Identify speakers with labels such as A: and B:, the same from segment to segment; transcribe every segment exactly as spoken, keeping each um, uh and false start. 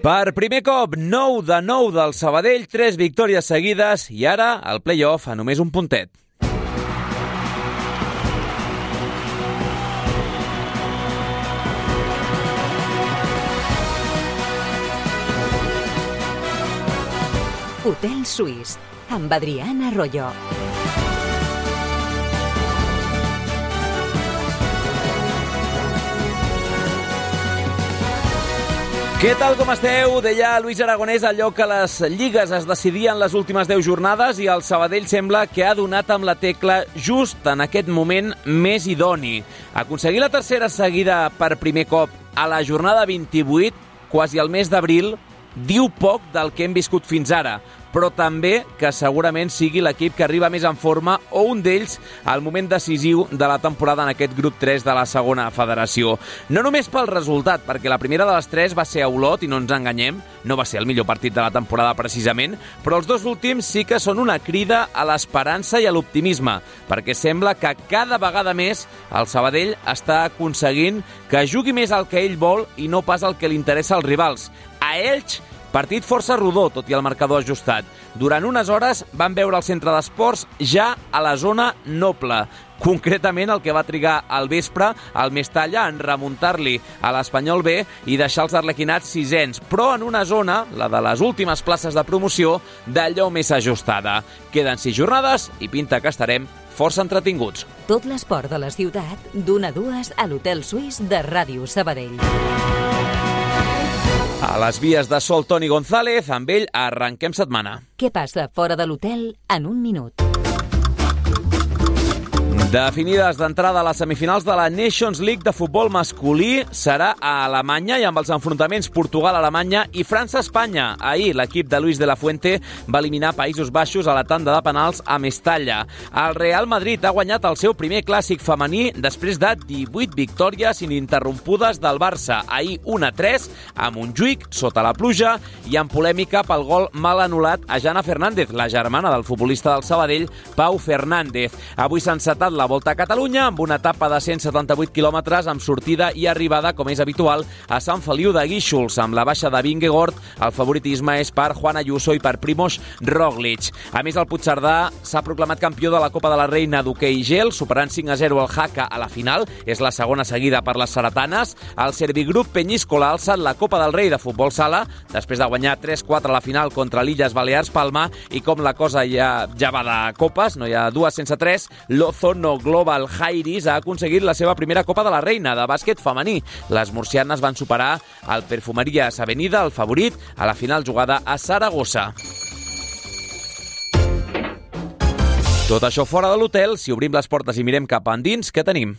A: Per primer cop, nou de nou del Sabadell, tres victòries seguides i ara el play-off a només un puntet.
B: Hotel Suís, amb Adrián Arroyo.
A: Què tal, com esteu? Deia Luis Aragonès allò que les lligues es decidien les últimes deu jornades i el Sabadell sembla que ha donat amb la tecla just en aquest moment més idoni. Aconseguir la tercera seguida per primer cop a la jornada vint-i-vuit, quasi al mes d'abril, diu poc del que hem viscut fins ara, però també que segurament sigui l'equip que arriba més en forma o un d'ells al moment decisiu de la temporada en aquest grup tres de la segona federació. No només pel resultat, perquè la primera de les tres va ser a Olot, i no ens enganyem, no va ser el millor partit de la temporada precisament, però els dos últims sí que són una crida a l'esperança i a l'optimisme, perquè sembla que cada vegada més el Sabadell està aconseguint que jugui més al que ell vol i no pas al que li interessa als rivals. A Elx, partit força rodó, tot i el marcador ajustat. Durant unes hores van veure el centre d'esports ja a la zona noble. Concretament el que va trigar al vespre al Mestalla en remuntar-li a l'Espanyol B i deixar els arlequinats sisens, però en una zona, la de les últimes places de promoció, d'allò més ajustada. Queden sis jornades i pinta que estarem força entretinguts.
B: Tot l'esport de la ciutat, d'una a dues a l'Hotel Suís de Ràdio Sabadell.
A: A les vies de Sol Toni González, amb ell arrenquem setmana.
B: Què passa fora de l'hotel en un minut?
A: Definides d'entrada a les semifinals de la Nations League de futbol masculí, serà a Alemanya i amb els enfrontaments Portugal-Alemanya i França-Espanya. Ahir l'equip de Luis de la Fuente va eliminar Països Baixos a la tanda de penals a Mestalla. El Real Madrid ha guanyat el seu primer clàssic femení després de divuit victòries ininterrompudes del Barça. Ahir un a tres a Montjuïc, sota la pluja, i amb polèmica pel gol mal anul·lat a Jana Fernández, la germana del futbolista del Sabadell, Pau Fernández. Avui s'ha encetat la Volta a Catalunya amb una etapa de cent setanta-vuit quilòmetres amb sortida i arribada, com és habitual, a Sant Feliu de Guíxols. Amb la baixa de Vingegaard, el favoritisme és per Juan Ayuso i per Primož Roglic. A més, el Puigcerdà s'ha proclamat campió de la Copa de la Reina d'hoquei gel, superant cinc a zero el Jaca a la final. És la segona seguida per les saratanes. El Servigroup Peñíscola ha alçat la Copa del Rei de futbol sala, després de guanyar tres quatre a la final contra l'Illes Balears Palma, i com la cosa ja, ja va de copes, no hi ha dues sense tres, l'Ozono Global Jairis ha aconseguit la seva primera Copa de la Reina de bàsquet femení. Les murcianes van superar el Perfumerías Avenida, el favorit, a la final jugada a Saragossa. Tot això fora de l'hotel. Si obrim les portes i mirem cap endins, què tenim?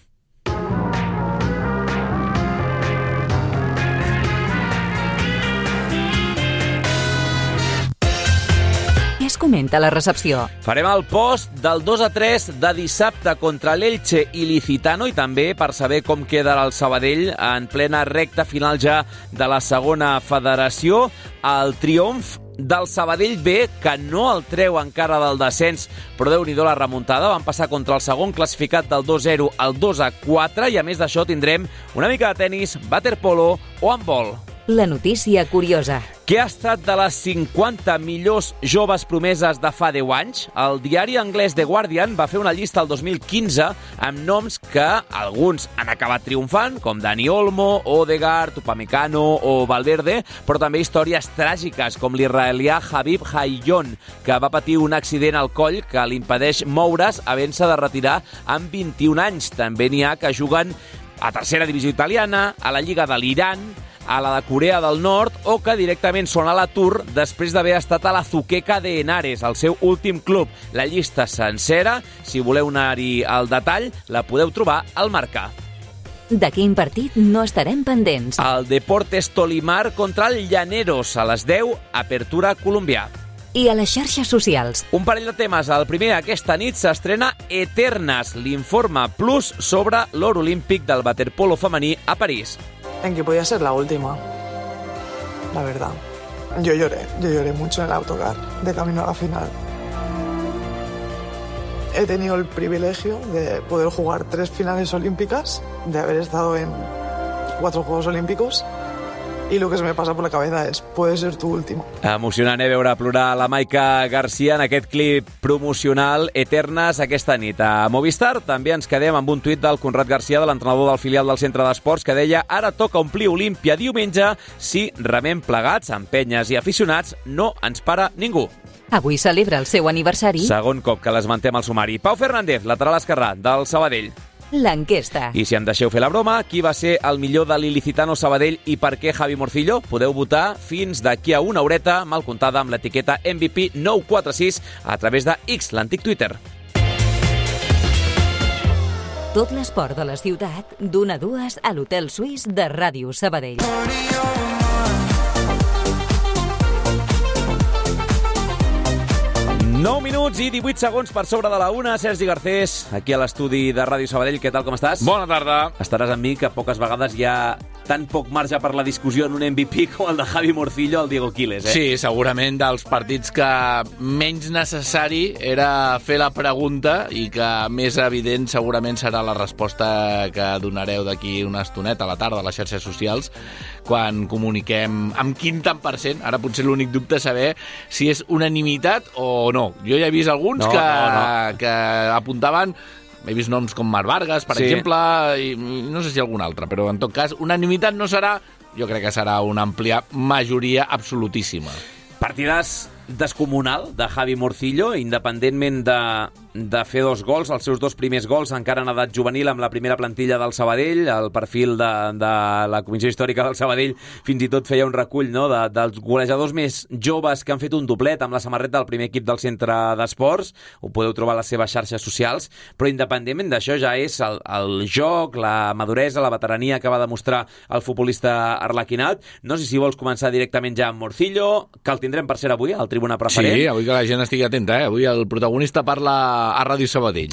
B: Es comenta la recepció.
A: Farem el post del dos a tres de dissabte contra l'Elche Ilicitano i també per saber com queda el Sabadell en plena recta final ja de la segona federació. El triomf del Sabadell B, que no el treu encara del descens, però Déu-n'hi-do la remuntada. Van passar contra el segon classificat del dos a zero al dos a quatre i a més d'això tindrem una mica de tenis, waterpolo o handbol.
B: La notícia curiosa.
A: Què ha estat de les cinquanta millors joves promeses de fa deu anys? El diari anglès The Guardian va fer una llista el dos mil quinze amb noms que alguns han acabat triomfant, com Dani Olmo, Odegaard, Upamecano o Valverde, però també històries tràgiques, com l'israelià Habib Hayon, que va patir un accident al coll que li impedeix moure's havent-se de retirar amb vint-i-un anys. També n'hi ha que juguen a tercera divisió italiana, a la Lliga de l'Iran, a la de Corea del Nord, o que directament són a l'atur després d'haver estat a la Zuqueca de Henares, el seu últim club. La llista sencera, si voleu anar-hi al detall, la podeu trobar al Marca.
B: De quin partit no estarem pendents?
A: El Deportes Tolimar contra el Llaneros, a les deu, apertura colombià.
B: I a les xarxes socials.
A: Un parell de temes. El primer, aquesta nit s'estrena Eternas, l'informe plus sobre l'or olímpic del waterpolo femení a París.
C: En que podía ser la última, la verdad. Yo lloré, yo lloré mucho en el autocar de camino a la final. He tenido el privilegio de poder jugar tres finales olímpicas, de haber estado en cuatro Juegos Olímpicos y lo que se me pasa por la cabeza es, puede ser tu último.
A: Emocionant, eh, veure plorar la Maica Garcia en aquest clip promocional Eternes aquesta nit. A Movistar també ens quedem amb un tuit del Conrad Garcia, de l'entrenador del filial del Centre d'Esports, que deia: ara toca omplir Olímpia diumenge, si remem plegats, amb penyes i aficionats, no ens para ningú.
B: Avui celebra el seu aniversari.
A: Segon cop que l'esmentem al sumari. Pau Fernández, lateral esquerrà del Sabadell.
B: L'enquesta.
A: I si em deixeu fer la broma, qui va ser el millor de l'Ilicitano Sabadell i per què Javi Morcillo? Podeu votar fins d'aquí a una horeta, mal comptada, amb l'etiqueta M V P nou quatre sis a través de X, l'antic Twitter.
B: Tot l'esport de la ciutat, d'una a dues a l'Hotel Suís de Ràdio Sabadell.
A: nou minuts i divuit segons per sobre de la una. Sergi Garcés, aquí a l'estudi de Ràdio Sabadell. Què tal, com estàs?
D: Bona tarda.
A: Estaràs amb mi, que poques vegades hi ha tan poc marge per la discussió en un M V P com el de Javi Morcillo al Diego Quiles, eh?
D: Sí, segurament dels partits que menys necessari era fer la pregunta i que més evident segurament serà la resposta que donareu d'aquí una estoneta a la tarda a les xarxes socials, quan comuniquem amb quin tant per cent. Ara potser l'únic dubte és saber si és unanimitat o no. Jo ja he vist alguns
A: no,
D: que,
A: no, no.
D: que apuntaven... He vist noms com Marc Vargas, per
A: sí. exemple,
D: i no sé si algun altre, però en tot cas, unanimitat no serà, jo crec que serà una àmplia majoria absolutíssima.
A: Partidàs descomunal de Javi Morcillo, independentment de, de fer dos gols, els seus dos primers gols encara en edat juvenil amb la primera plantilla del Sabadell. El perfil de, de la Comissió Històrica del Sabadell fins i tot feia un recull, no?, de, dels golejadors més joves que han fet un doblet amb la samarreta del primer equip del Centre d'Esports. Ho podeu trobar a les seves xarxes socials, però independentment d'això ja és el, el joc, la maduresa, la veterania que va demostrar el futbolista arlequinat. No sé si vols començar directament ja amb Morcillo, que el tindrem per ser avui al Tribuna Preferent.
D: Sí, avui que la gent estigui atenta, eh? Avui el protagonista parla a Ràdio Sabadell.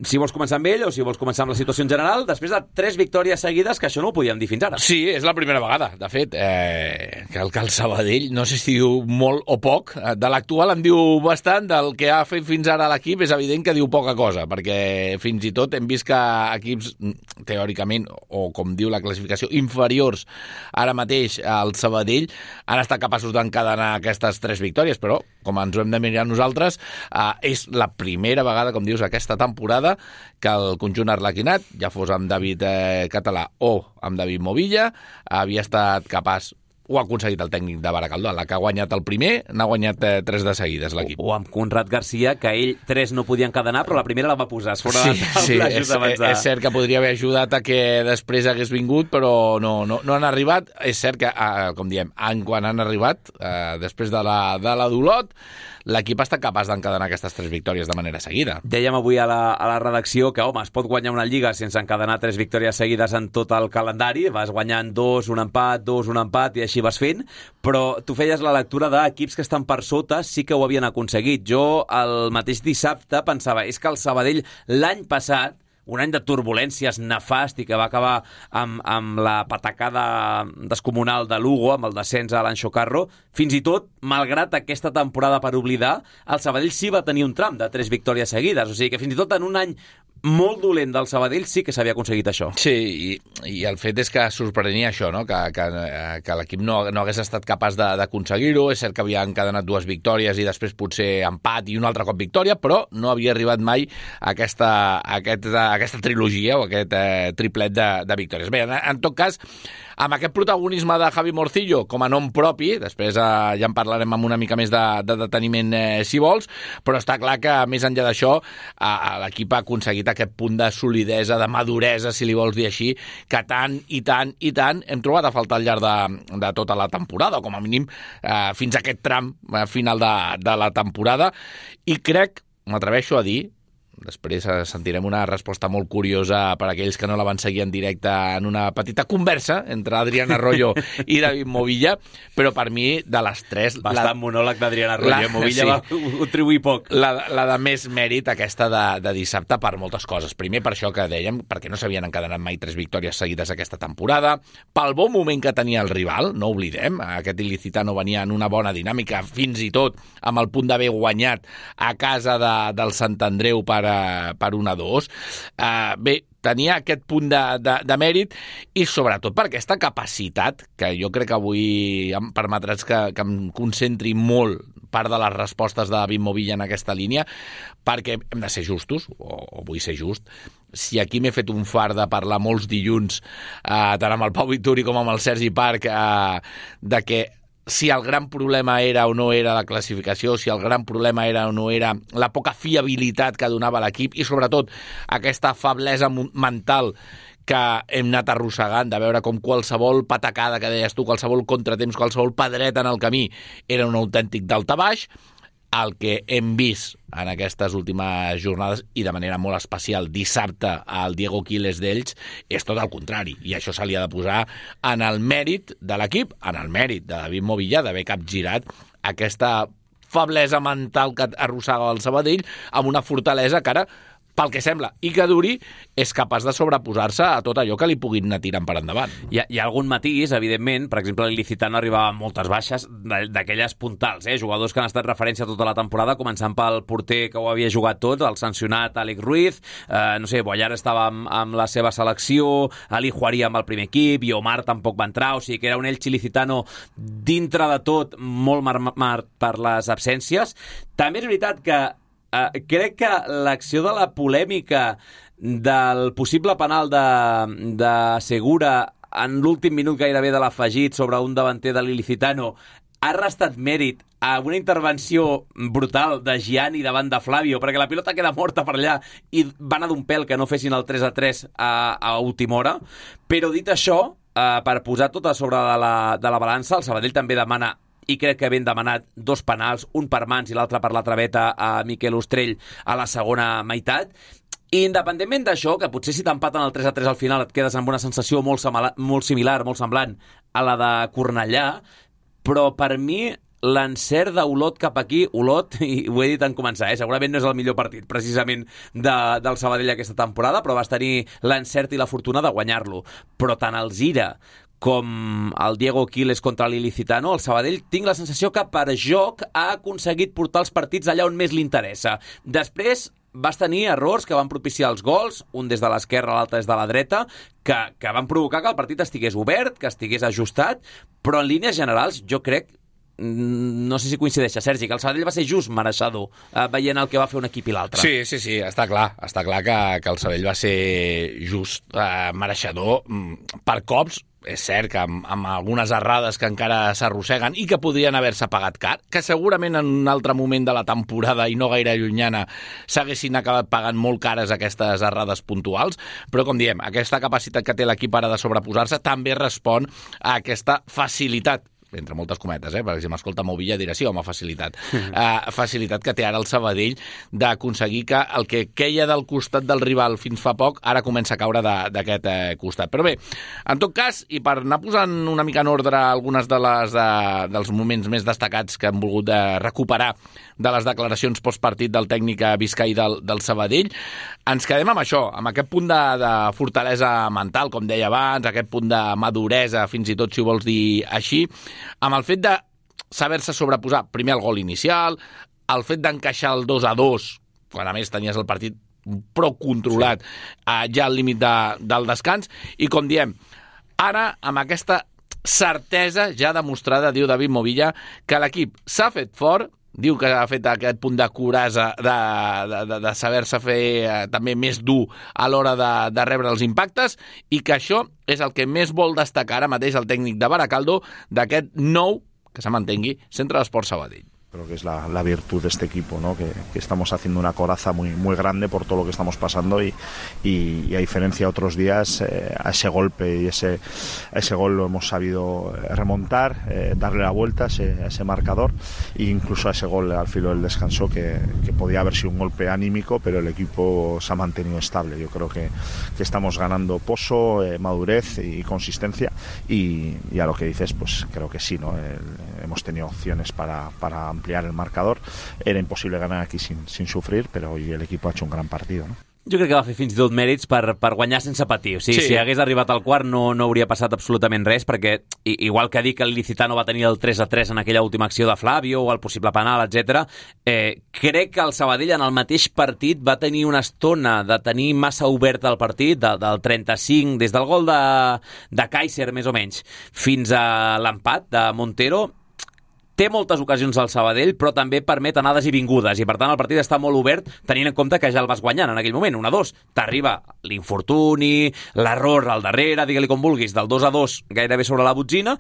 A: Si vols començar amb ell o si vols començar amb la situació en general, després de tres victòries seguides, que això no ho podíem dir fins ara.
D: Sí, és la primera vegada, de fet, eh, que, el, que el Sabadell, no sé si diu molt o poc, de l'actual en diu bastant, del que ha fet fins ara l'equip és evident que diu poca cosa, perquè fins i tot hem vist que equips, teòricament, o com diu la classificació, inferiors ara mateix al Sabadell, han estat capaços d'encadenar aquestes tres victòries, però, com ens ho hem de mirar nosaltres, eh, és la primera vegada, com dius, aquesta temporada que el conjunt arlequinat, ja fos amb David eh, Català o amb David Movilla, havia estat capaç, ho ha aconseguit el tècnic de Baracaldo, la que ha guanyat el primer, n'ha guanyat eh, tres de seguides l'equip.
A: O, o amb Conrad Garcia, que ell tres no podia encadenar, però la primera la va posar fora
D: sí,
A: de la
D: sí,
A: taula
D: és,
A: just abans de...
D: és cert que podria haver ajudat a que després hagués vingut, però no, no, no han arribat. És cert que, eh, com diem, en quan han arribat, eh, després de la, de la d'Olot, l'equip ha estat capaç d'encadenar aquestes tres victòries de manera seguida.
A: Dèiem avui a la, a la redacció que, home, es pot guanyar una lliga sense encadenar tres victòries seguides en tot el calendari. Vas guanyant dos, un empat, dos, un empat, i així vas fent, però tu feies la lectura d'equips que estan per sota, sí que ho havien aconseguit. Jo, el mateix dissabte, pensava, és que el Sabadell l'any passat, un any de turbulències nefast i que va acabar amb, amb la patacada descomunal de Lugo, amb el descens a l'Anxo Carro, fins i tot, malgrat aquesta temporada per oblidar, el Sabadell sí va tenir un tram de tres victòries seguides. O sigui que fins i tot en un any molt dolent del Sabadell sí que s'havia aconseguit això.
D: Sí, i, i el fet és que sorprenia això, no? que, que, que l'equip no, no hagués estat capaç d'aconseguir-ho. És cert que havia encadenat dues victòries i després potser empat i un altre cop victòria, però no havia arribat mai a aquesta, a aquesta, a aquesta trilogia o aquest eh, triplet de, de victòries. Bé, en, en tot cas, amb aquest protagonisme de Javi Morcillo com a nom propi, després eh, ja en parlarem amb una mica més de, de deteniment eh, si vols, però està clar que més enllà d'això eh, l'equip ha aconseguit aquest punt de solidesa, de maduresa, si li vols dir així, que tant i tant i tant hem trobat a faltar al llarg de, de tota la temporada, o com a mínim eh, fins a aquest tram eh, final de, de la temporada, i crec, m'atreveixo a dir, després sentirem una resposta molt curiosa per a aquells que no la van seguir en directe en una petita conversa entre Adrián Arroyo i David Movilla, però per mi, de les tres...
A: Bastant la, monòleg d'Adrián Arroyo, la, Movilla sí, va contribuir poc.
D: La, la de més mèrit, aquesta de, de dissabte, per moltes coses. Primer, per això que dèiem, perquè no s'havien encadenat mai tres victòries seguides aquesta temporada, pel bon moment que tenia el rival, no oblidem, aquest Ilicitano venia en una bona dinàmica, fins i tot amb el punt d'haver guanyat a casa de, del Sant Andreu per uh, per un a dos. Uh, bé, tenia aquest punt de, de, de mèrit i sobretot per aquesta capacitat que jo crec que avui em permetràs que, que em concentri molt part de les respostes de David Movilla en aquesta línia, perquè hem de ser justos, o, o vull ser just. Si aquí m'he fet un far de parlar molts dilluns, eh, tant amb el Pau Vituri com amb el Sergi Parc, eh, de que si el gran problema era o no era la classificació, si el gran problema era o no era la poca fiabilitat que donava l'equip i, sobretot, aquesta feblesa mental que hem anat arrossegant, de veure com qualsevol patacada que deies tu, qualsevol contratemps, qualsevol pedreta en el camí era un autèntic daltabaix. El que hem vist en aquestes últimes jornades, i de manera molt especial dissabte al Diego Quiles d'Elx, és tot el contrari, i això se li ha de posar en el mèrit de l'equip, en el mèrit de David Movilla, d'haver capgirat aquesta feblesa mental que arrossega el Sabadell amb una fortalesa que ara, pel que sembla, i que duri, és capaç de sobreposar-se a tot allò que li puguin anar tirant per endavant.
A: Hi ha, hi ha algun matís, evidentment. Per exemple, l'Ilicitano arribava amb moltes baixes d'aquelles puntals, eh? Jugadors que han estat referència tota la temporada, començant pel porter que ho havia jugat tot, el sancionat Àlex Ruiz, eh, no sé, Boyar estava amb, amb la seva selecció, Ali Juaria amb el primer equip, i Omar tampoc va entrar, o sigui que era un Elx Ilicitano dintre de tot molt marmat per les absències. També és veritat que Uh, crec que l'acció de la polèmica del possible penal de, de Segura en l'últim minut gairebé de l'afegit sobre un davanter de l'Ilicitano ha restat mèrit a una intervenció brutal de Gianni davant de Flavio, perquè la pilota queda morta per allà i va anar d'un pèl que no fessin el tres a tres a, a última hora. Però dit això, uh, per posar tot a sobre de la, de la balança, el Sabadell també demana, i crec que ben demanat, dos penals, un per mans i l'altre per la traveta a Miquel Ostrell a la segona meitat. I independentment d'això, que potser si t'empaten el tres a tres al final et quedes amb una sensació molt, molt similar, molt semblant a la de Cornellà, però per mi l'encert d'Olot cap aquí, Olot, i ho he dit en començar, eh? Segurament no és el millor partit precisament de, del Sabadell aquesta temporada, però vas tenir l'encert i la fortuna de guanyar-lo. Però tant el Zira com el Diego Quiles contra l'Ilicitano, el Sabadell tinc la sensació que per joc ha aconseguit portar els partits allà on més li interessa. Després vas tenir errors que van propiciar els gols, un des de l'esquerra, l'altre des de la dreta, que, que van provocar que el partit estigués obert, que estigués ajustat, però en línies generals jo crec, no sé si coincideix, Sergi, que el Sabadell va ser just mereixedor, eh, veient el que va fer un equip i l'altre.
D: Sí, sí, sí, està clar, està clar que, que el Sabadell va ser just eh, mereixedor per cops. És cert que amb, amb algunes errades que encara s'arrosseguen i que podrien haver-se pagat car, que segurament en un altre moment de la temporada i no gaire llunyana s'haguessin acabat pagant molt cares aquestes errades puntuals, però com diem, aquesta capacitat que té l'equip ara de sobreposar-se també respon a aquesta facilitat, entre moltes cometes, eh? perquè si m'escolta Movilla dirà sí, home, facilitat. Uh, facilitat que té ara el Sabadell d'aconseguir que el que queia del costat del rival fins fa poc ara comença a caure d'aquest eh, costat. Però bé, en tot cas, i per anar posant una mica en ordre algunes de les, de, dels moments més destacats que han volgut de recuperar de les declaracions postpartit del tècnic Vizcaí del, del Sabadell, ens quedem amb això, amb aquest punt de, de fortalesa mental, com deia abans, aquest punt de maduresa, fins i tot si ho vols dir així, amb el fet de saber-se sobreposar primer el gol inicial, el fet d'encaixar el dos a dos, quan a més tenies el partit prou controlat, sí. eh, ja al límit de, del descans, i com diem, ara amb aquesta certesa ja demostrada, diu David Movilla, que l'equip s'ha fet fort, diu que ha fet aquest punt de curasa de, de, de, de saber-se fer eh, també més dur a l'hora de, de rebre els impactes, i que això és el que més vol destacar ara mateix el tècnic de Baracaldo d'aquest nou, que se mantengui, Centre d'Esports Sabadell.
E: Creo que es la, la virtud de este equipo, ¿no? Que, que estamos haciendo una coraza muy, muy grande por todo lo que estamos pasando y, y, y a diferencia de otros días, eh, a ese golpe y ese, a ese gol lo hemos sabido remontar, eh, darle la vuelta a ese, a ese marcador e incluso a ese gol al filo del descanso que, que podía haber sido un golpe anímico, pero el equipo se ha mantenido estable. Yo creo que, que estamos ganando pozo, eh, madurez y consistencia y, y a lo que dices, pues creo que sí, ¿no? El, hemos tenido opciones para, para ampliar el marcador. Era imposible ganar aquí sin, sin sufrir, pero hoy el equipo ha hecho un gran partido, ¿no?
A: Jo crec que va fer fins i tot mèrits per, per guanyar sense patir. O sigui, sí. Si hagués arribat al quart no, no hauria passat absolutament res, perquè igual que dir que l'Ilicitano va tenir el tres a tres en aquella última acció de Flavio o el possible penal, etcètera, eh, crec que el Sabadell en el mateix partit va tenir una estona de tenir massa obert el partit, de, del trenta-cinc, des del gol de, de Kaiser, més o menys, fins a l'empat de Montero. Té moltes ocasions al Sabadell, però també permet anades i vingudes, i per tant el partit està molt obert, tenint en compte que ja el vas guanyant en aquell moment, un a dos. T'arriba l'infortuni, l'error al darrere, digue-li com vulguis, del dos a dos gairebé sobre la botzina,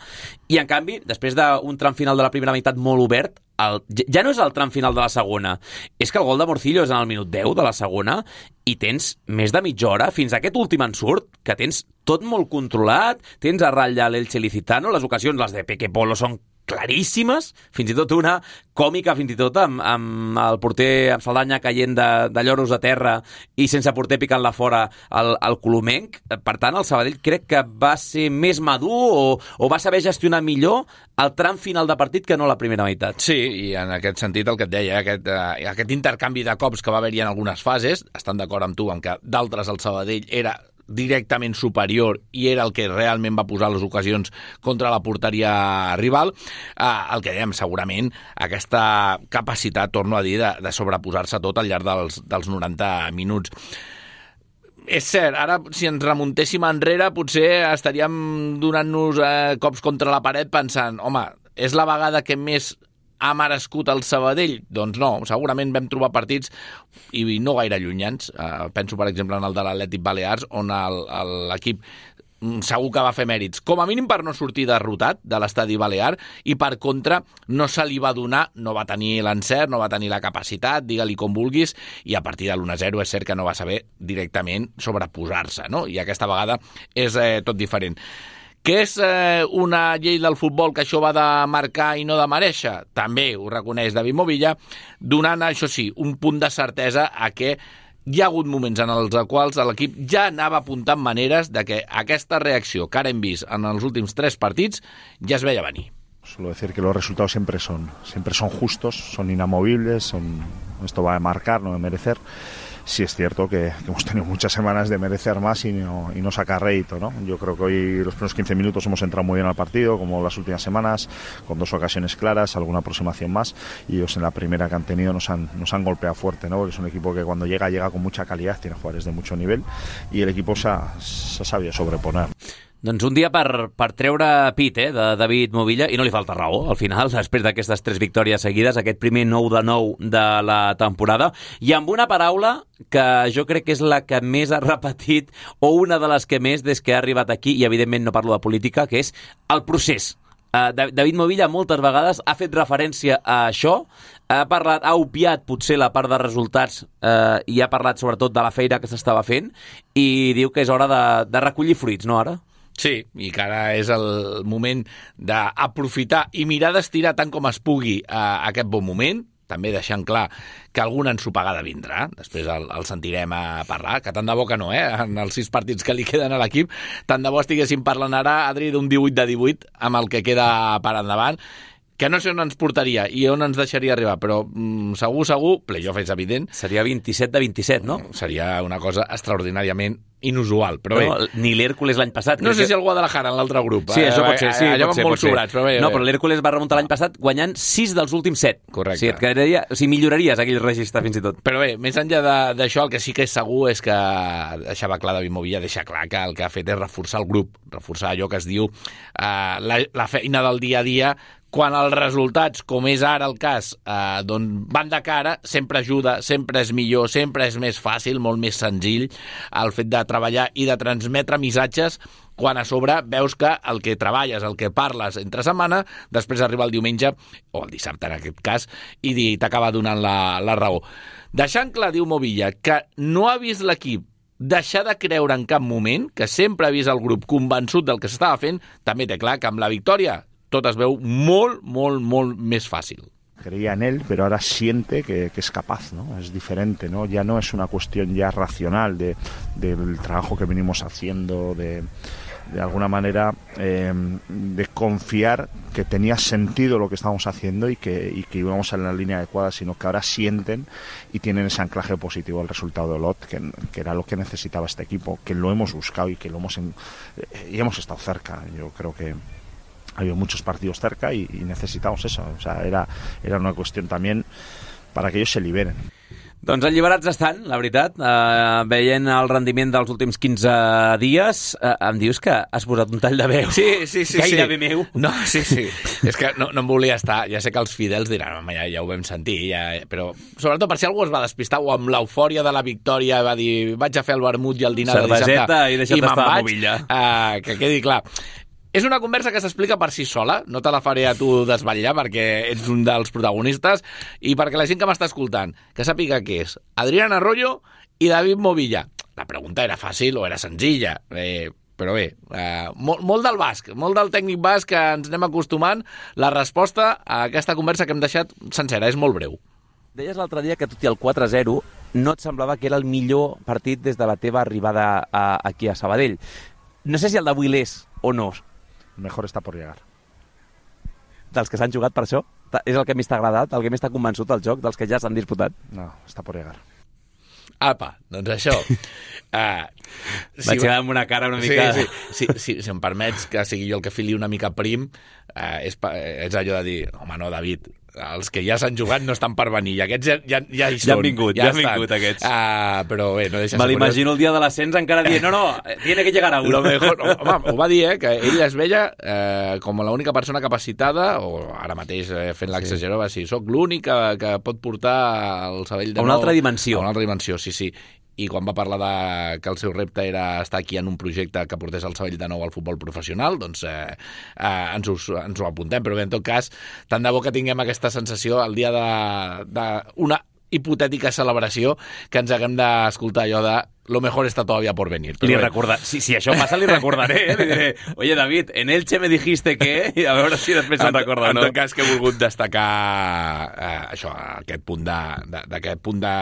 A: i en canvi, després d'un tram final de la primera meitat molt obert, el, ja no és el tram final de la segona, és que el gol de Morcillo és en el minut deu de la segona, i tens més de mitja hora, fins a aquest últim ensurt, que tens tot molt controlat, tens a ratlla l'Elche Licitano, les ocasions, les de Peque Polo, són claríssimes, fins i tot una còmica, fins i tot amb, amb el porter amb Saldanya caient de, de lloros a terra i sense porter picant-la fora al, al Colomenc. Per tant, el Sabadell crec que va ser més madur o, o va saber gestionar millor el tram final de partit que no la primera meitat.
D: Sí, i en aquest sentit el que et deia, aquest, eh, aquest intercanvi de cops que va haver-hi en algunes fases, estan d'acord amb tu en que d'altres el Sabadell era directament superior i era el que realment va posar les ocasions contra la porteria rival, eh, el que dèiem, segurament aquesta capacitat, torno a dir, de, de sobreposar-se tot al llarg dels, dels noranta minuts. És cert, ara si ens remuntéssim enrere potser estaríem donant-nos eh, cops contra la paret pensant, home, és la vegada que més ha merescut el Sabadell? Doncs no, segurament vam trobar partits i no gaire llunyans. Uh, penso, per exemple, en el de l'Atlètic Balears, on l'equip segur que va fer mèrits, com a mínim per no sortir derrotat de l'estadi balear, i per contra no se li va donar, no va tenir l'encert, no va tenir la capacitat, digue-li com vulguis, i a partir de l'u a zero és cert que no va saber directament sobreposar-se, no? I aquesta vegada és eh, tot diferent. Que és eh, una llei del futbol que això va de marcar i no de mereixer? També ho reconeix David Movilla, donant, això sí, un punt de certesa a que hi ha hagut moments en els quals l'equip ja anava apuntant maneres de que aquesta reacció que ara hem vist en els últims tres partits ja es veia venir.
E: Suelo decir que los resultados siempre son, siempre son justos, son inamovibles, son, esto va a marcar, no de merecer. Sí es cierto que, que hemos tenido muchas semanas de merecer más y no, y no sacar rédito, ¿no? Yo creo que hoy los primeros quince minutos hemos entrado muy bien al partido, como las últimas semanas, con dos ocasiones claras, alguna aproximación más, y ellos en la primera que han tenido nos han, nos han golpeado fuerte, ¿no? Porque es un equipo que cuando llega, llega con mucha calidad, tiene jugadores de mucho nivel, y el equipo se ha, se ha sabido sobreponer.
A: Doncs un dia per, per treure pit eh, de David Movilla, i no li falta raó, al final, després d'aquestes tres victòries seguides, aquest primer nou de nou de la temporada, i amb una paraula que jo crec que és la que més ha repetit, o una de les que més des que ha arribat aquí, i evidentment no parlo de política, que és el procés. Uh, David Movilla moltes vegades ha fet referència a això, ha parlat, ha obviat potser la part de resultats uh, i ha parlat sobretot de la feina que s'estava fent, i diu que és hora de, de recollir fruits, no ara?
D: Sí, i que ara és el moment d'aprofitar i mirar d'estirar tant com es pugui a aquest bon moment, també deixant clar que alguna ensopegada vindrà, després el, el sentirem a parlar, que tant de bo que no, eh? En els sis partits que li queden a l'equip, tant de bo estiguéssim parlant ara, Adri, d'un divuit de divuit amb el que queda per endavant, que no sé on ens portaria i on ens deixaria arribar, però mm, segur, segur, playoff és evident.
A: Seria vint-i-set de vint-i-set, no?
D: Seria una cosa extraordinàriament inusual, però
A: no,
D: bé.
A: Ni l'Hèrcules l'any passat.
D: No sé
A: que...
D: si el Guadalajara en l'altre grup.
A: Sí, això pot ser, sí,
D: allà
A: pot ser,
D: van molt
A: pot ser.
D: sobrats, però bé.
A: No, però l'Hèrcules va remuntar l'any passat guanyant sis dels últims set.
D: Correcte.
A: O sigui, et quedaria, o sigui, milloraries aquell registre fins i tot.
D: Però bé, més enllà d'això, el que sí que és segur és que deixava clar David Movilla, deixa clar que el que ha fet és reforçar el grup, reforçar allò que es diu eh, la, la feina del dia a dia, quan els resultats, com és ara el cas, eh, doncs van de cara, sempre ajuda, sempre és millor, sempre és més fàcil, molt més senzill el fet de treballar i de transmetre missatges quan a sobre veus que el que treballes, el que parles entre setmana, després arriba el diumenge, o el dissabte en aquest cas, i t'acaba donant la, la raó. Deixant clar, diu Movilla, que no ha vist l'equip deixar de creure en cap moment, que sempre ha vist el grup convençut del que s'estava fent, també té clar que amb la victòria tot es veu molt, molt, molt més fàcil.
E: Creía en él, pero ahora siente que, que es capaz, ¿no? Es diferente, ¿no? Ya no es una cuestión ya racional de, del trabajo que venimos haciendo, de, de alguna manera eh, de confiar que tenía sentido lo que estábamos haciendo y que, y que íbamos en la línea adecuada, sino que ahora sienten y tienen ese anclaje positivo al resultado de Olot, que, que era lo que necesitaba este equipo, que lo hemos buscado y que lo hemos en, eh, y hemos estado cerca. Yo creo que ha habido muchos partidos cerca y, y necesitamos eso. O sea, era, era una cuestión también para que ellos se liberen.
A: Doncs alliberats estan, la veritat. Uh, veient el rendiment dels últims quinze dies, uh, em dius que has posat un tall de veu.
D: Sí, sí, sí.
A: Gairebé
D: sí.
A: meu.
D: No, sí, sí. És que no, no em volia estar. Ja sé que els fidels diran, home, ja, ja ho vam sentir, ja, però sobretot per si algú es va despistar o amb l'eufòria de la victòria va dir, vaig a fer el vermut i el dinar de dissabte
A: i deixa't estar a Movilla.
D: Uh, que quedi clar. És una conversa que s'explica per si sola, no te la faré a tu desvetllar perquè ets un dels protagonistes i perquè la gent que m'està escoltant que sàpiga què és Adrián Arroyo i David Movilla. La pregunta era fàcil o era senzilla, eh, però bé, eh, molt, molt del basc, molt del tècnic basc que ens anem acostumant. La resposta a aquesta conversa que hem deixat sencera és molt breu.
F: Deies l'altre dia que tot i el quatre a zero no et semblava que era el millor partit des de la teva arribada a, aquí a Sabadell. No sé si el d'avui l'és o no.
E: Mejor está por llegar.
F: Dels que s'han jugat per això? És el que més t'ha agradat? El que més t'ha convençut del joc? Dels que ja s'han disputat?
E: No, està por llegar.
D: Apa, doncs això. Uh,
A: si Vaig quedar amb una cara una mica...
D: Sí, sí, sí, sí, si em permets que sigui jo el que fili una mica prim, uh, és, és allò de dir, home, no, David, els que ja s'han jugat no estan per venir, i aquests ja, ja, ja hi són.
A: Ja han vingut, ja, ja han vingut aquests.
D: Uh, però bé, no deixa...
A: Me l'imagino el dia de l'ascens encara dient, no, no, tiene que llegar a uno.
D: Lo mejor, home, ho va dir, eh, que ell es veia eh, com l'única persona capacitada, o ara mateix eh, fent l'exageró, va dir, soc l'únic que, que pot portar el Sabadell de
A: nou... A una
D: nou,
A: altra dimensió.
D: A una altra dimensió, sí, sí. I quan va parlar de que el seu repte era estar aquí en un projecte que portés el Sabadell de nou al futbol professional, doncs eh, eh, ens, us, ens ho apuntem. Però bé, en tot cas, tant de bo que tinguem aquesta sensació el dia d'una hipotètica celebració que ens haguem d'escoltar allò de lo mejor está todavía por venir.
A: Li recordar, si, si això passa, li recordaré. Eh? Li diré, oye, David, en Elche me dijiste que... I a veure si després se'n recorda o no.
D: En tot cas, que he volgut destacar eh, això, aquest punt de, de, d'aquest punt de,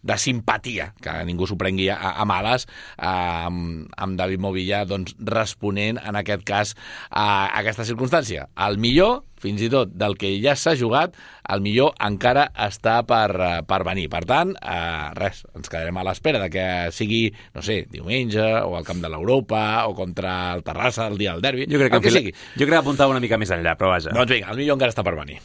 D: de simpatia, que ningú s'ho prengui a, a males, eh, amb, amb David Movilla, doncs, responent, en aquest cas, a aquesta circumstància. El millor, fins i tot, del que ja s'ha jugat, el millor encara està per, per venir. Per tant, eh, res, ens quedarem a l'espera de que sigui, no sé, diumenge, o al Camp de l'Europa, o contra el Terrassa el dia del derbi.
A: Jo crec que, que, sigui. Jo crec que apuntava una mica més enllà, però vaja.
D: Doncs vinga, el millor encara està per venir.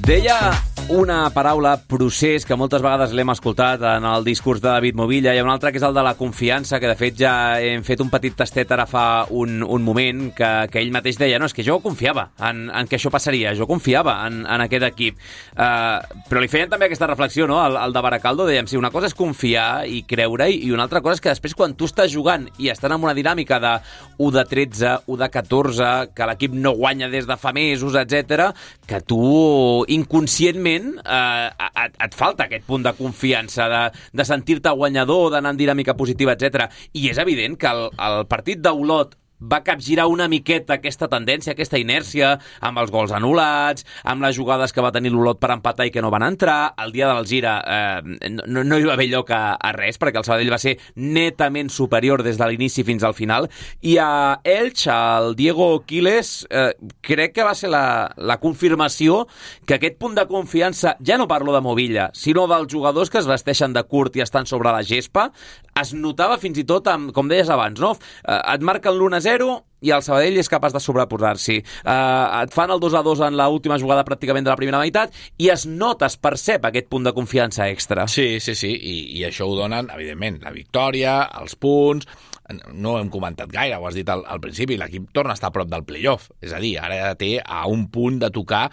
A: Deia una paraula, procés, que moltes vegades l'hem escoltat en el discurs de David Movilla. Hi ha un altre que és el de la confiança, que de fet ja hem fet un petit tastet ara fa un, un moment, que, que ell mateix deia, no, és que jo confiava en, en que això passaria, jo confiava en, en aquest equip. Uh, però li feien també aquesta reflexió, no?, el, el de Baracaldo, dèiem, si una cosa és confiar i creure-hi, i una altra cosa és que després quan tu estàs jugant i estan en una dinàmica de u de tretze, u de catorze, que l'equip no guanya des de fa mesos, etcètera, que tu inconscientment Eh, et, et falta aquest punt de confiança, de, de sentir-te guanyador, d'anar en dinàmica positiva, etcètera. I és evident que el, el partit d'Olot va capgirar una miqueta aquesta tendència, aquesta inèrcia, amb els gols anul·lats, amb les jugades que va tenir l'Olot per empatar i que no van entrar. El dia del Gira eh, no, no hi va haver lloc a, a res, perquè el Sabadell va ser netament superior des de l'inici fins al final. I a Elx, el Diego Quiles, eh, crec que va ser la, la confirmació que aquest punt de confiança, ja no parlo de Movilla, sinó dels jugadors que es vesteixen de curt i estan sobre la gespa, es notava fins i tot, amb, com deies abans, no? Eh, et marquen l'u a zero i el Sabadell és capaç de sobreposar-s'hi. Uh, et fan el dos a dos en l'última jugada pràcticament de la primera meitat i es nota, es percep aquest punt de confiança extra.
D: Sí, sí, sí, i, i això ho donen, evidentment, la victòria, els punts. No ho hem comentat gaire, ho has dit al, al principi, l'equip torna a estar a prop del playoff, és a dir, ara té a un punt de tocar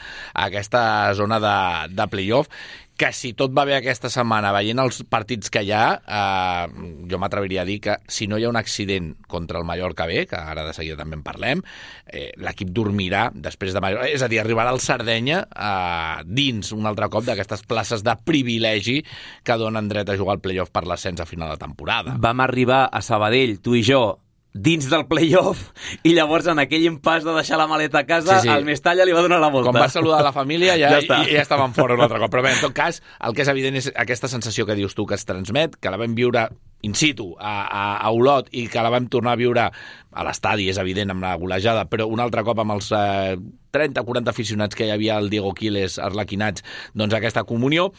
D: aquesta zona de, de playoff, que si tot va bé aquesta setmana, veient els partits que hi ha, eh, jo m'atreviria a dir que si no hi ha un accident contra el Mallorca B, que ara de seguida també en parlem, eh, l'equip dormirà després de Mallorca, és a dir, arribarà al Sardenya eh, dins un altre cop d'aquestes places de privilegi que donen dret a jugar al playoff per l'ascens a final de temporada.
A: Vam arribar a Sabadell, tu i jo, dins del play-off, i llavors en aquell impàs de deixar la maleta a casa, sí, sí. el Mestalla li va donar la volta.
D: Quan va saludar la família ja, ja, ja estaven fora un altre cop. Però bé, en tot cas, el que és evident és aquesta sensació que dius tu que es transmet, que la vam viure in situ a, a, a Olot i que la vam tornar a viure a l'estadi, és evident, amb la golejada, però un altre cop amb els eh, trenta o quaranta aficionats que hi havia al Diego Quiles arlequinats, doncs aquesta comunió.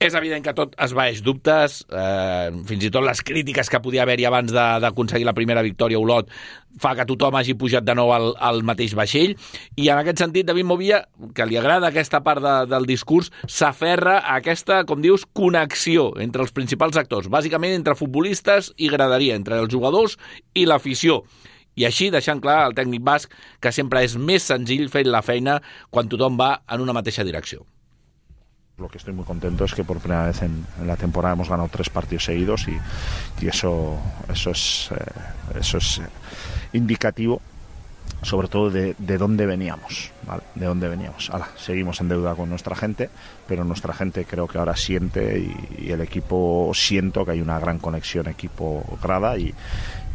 D: És evident que tot esvaeix dubtes, eh, fins i tot les crítiques que podia haver-hi abans de, d'aconseguir la primera victòria a Olot fa que tothom hagi pujat de nou al, al mateix vaixell, i en aquest sentit David Movilla, que li agrada aquesta part de, del discurs, s'aferra a aquesta, com dius, connexió entre els principals actors, bàsicament entre futbolistes i graderia, entre els jugadors i l'afició. I així deixant clar al tècnic basc que sempre és més senzill fer la feina quan tothom va en una mateixa direcció.
E: Lo que estoy muy contento es que por primera vez en, en la temporada hemos ganado tres partidos seguidos y, y eso, eso es, eh, eso es indicativo sobre todo de, de dónde veníamos, ¿vale? De dónde veníamos. Ahora, seguimos en deuda con nuestra gente, pero nuestra gente creo que ahora siente y, y el equipo siento que hay una gran conexión equipo-grada y,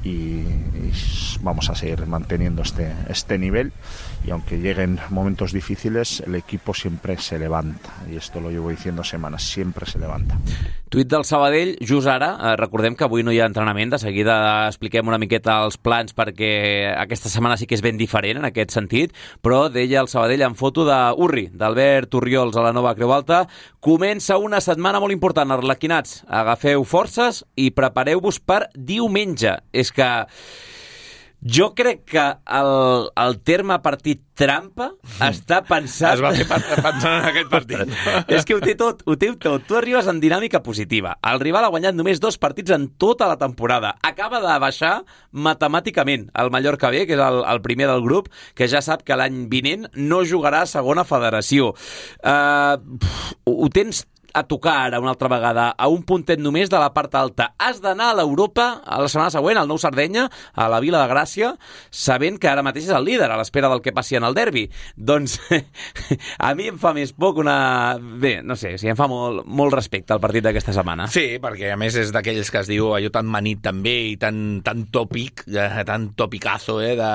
E: y, y vamos a seguir manteniendo este, este nivel, y aunque lleguen momentos difíciles el equipo siempre se levanta, y esto lo llevo diciendo semanas, siempre se levanta.
A: Tuit del Sabadell, just ara, eh, recordem que avui no hi ha entrenament, de seguida expliquem una miqueta els plans perquè aquesta setmana sí que és ben diferent en aquest sentit, però deia el Sabadell en foto d'Urri, d'Albert Orriols a la nova Creu Alta: comença una setmana molt important, arlequinats, agafeu forces i prepareu-vos per diumenge. És que jo crec que el, el terme partit trampa està pensat...
D: Es va fer pensant en aquest partit.
A: És que ho té tot, ho té tot. Tu arribes en dinàmica positiva. El rival ha guanyat només dos partits en tota la temporada. Acaba de baixar matemàticament el Mallorca B, que és el, el primer del grup, que ja sap que l'any vinent no jugarà a segona federació. Uh, pff, ho tens a tocar ara una altra vegada a un puntet només de la part alta. Has d'anar a l'Europa a la setmana següent, al Nou Sardenya, a la Vila de Gràcia, sabent que ara mateix és el líder a l'espera del que passi en el derbi. Doncs a mi em fa més poc una... Bé, no sé, sí, em fa molt, molt respecte al partit d'aquesta setmana.
D: Sí, perquè a més és d'aquells que es diu allò tan manit també i tan, tan tòpic, eh, tan topicazo, eh, de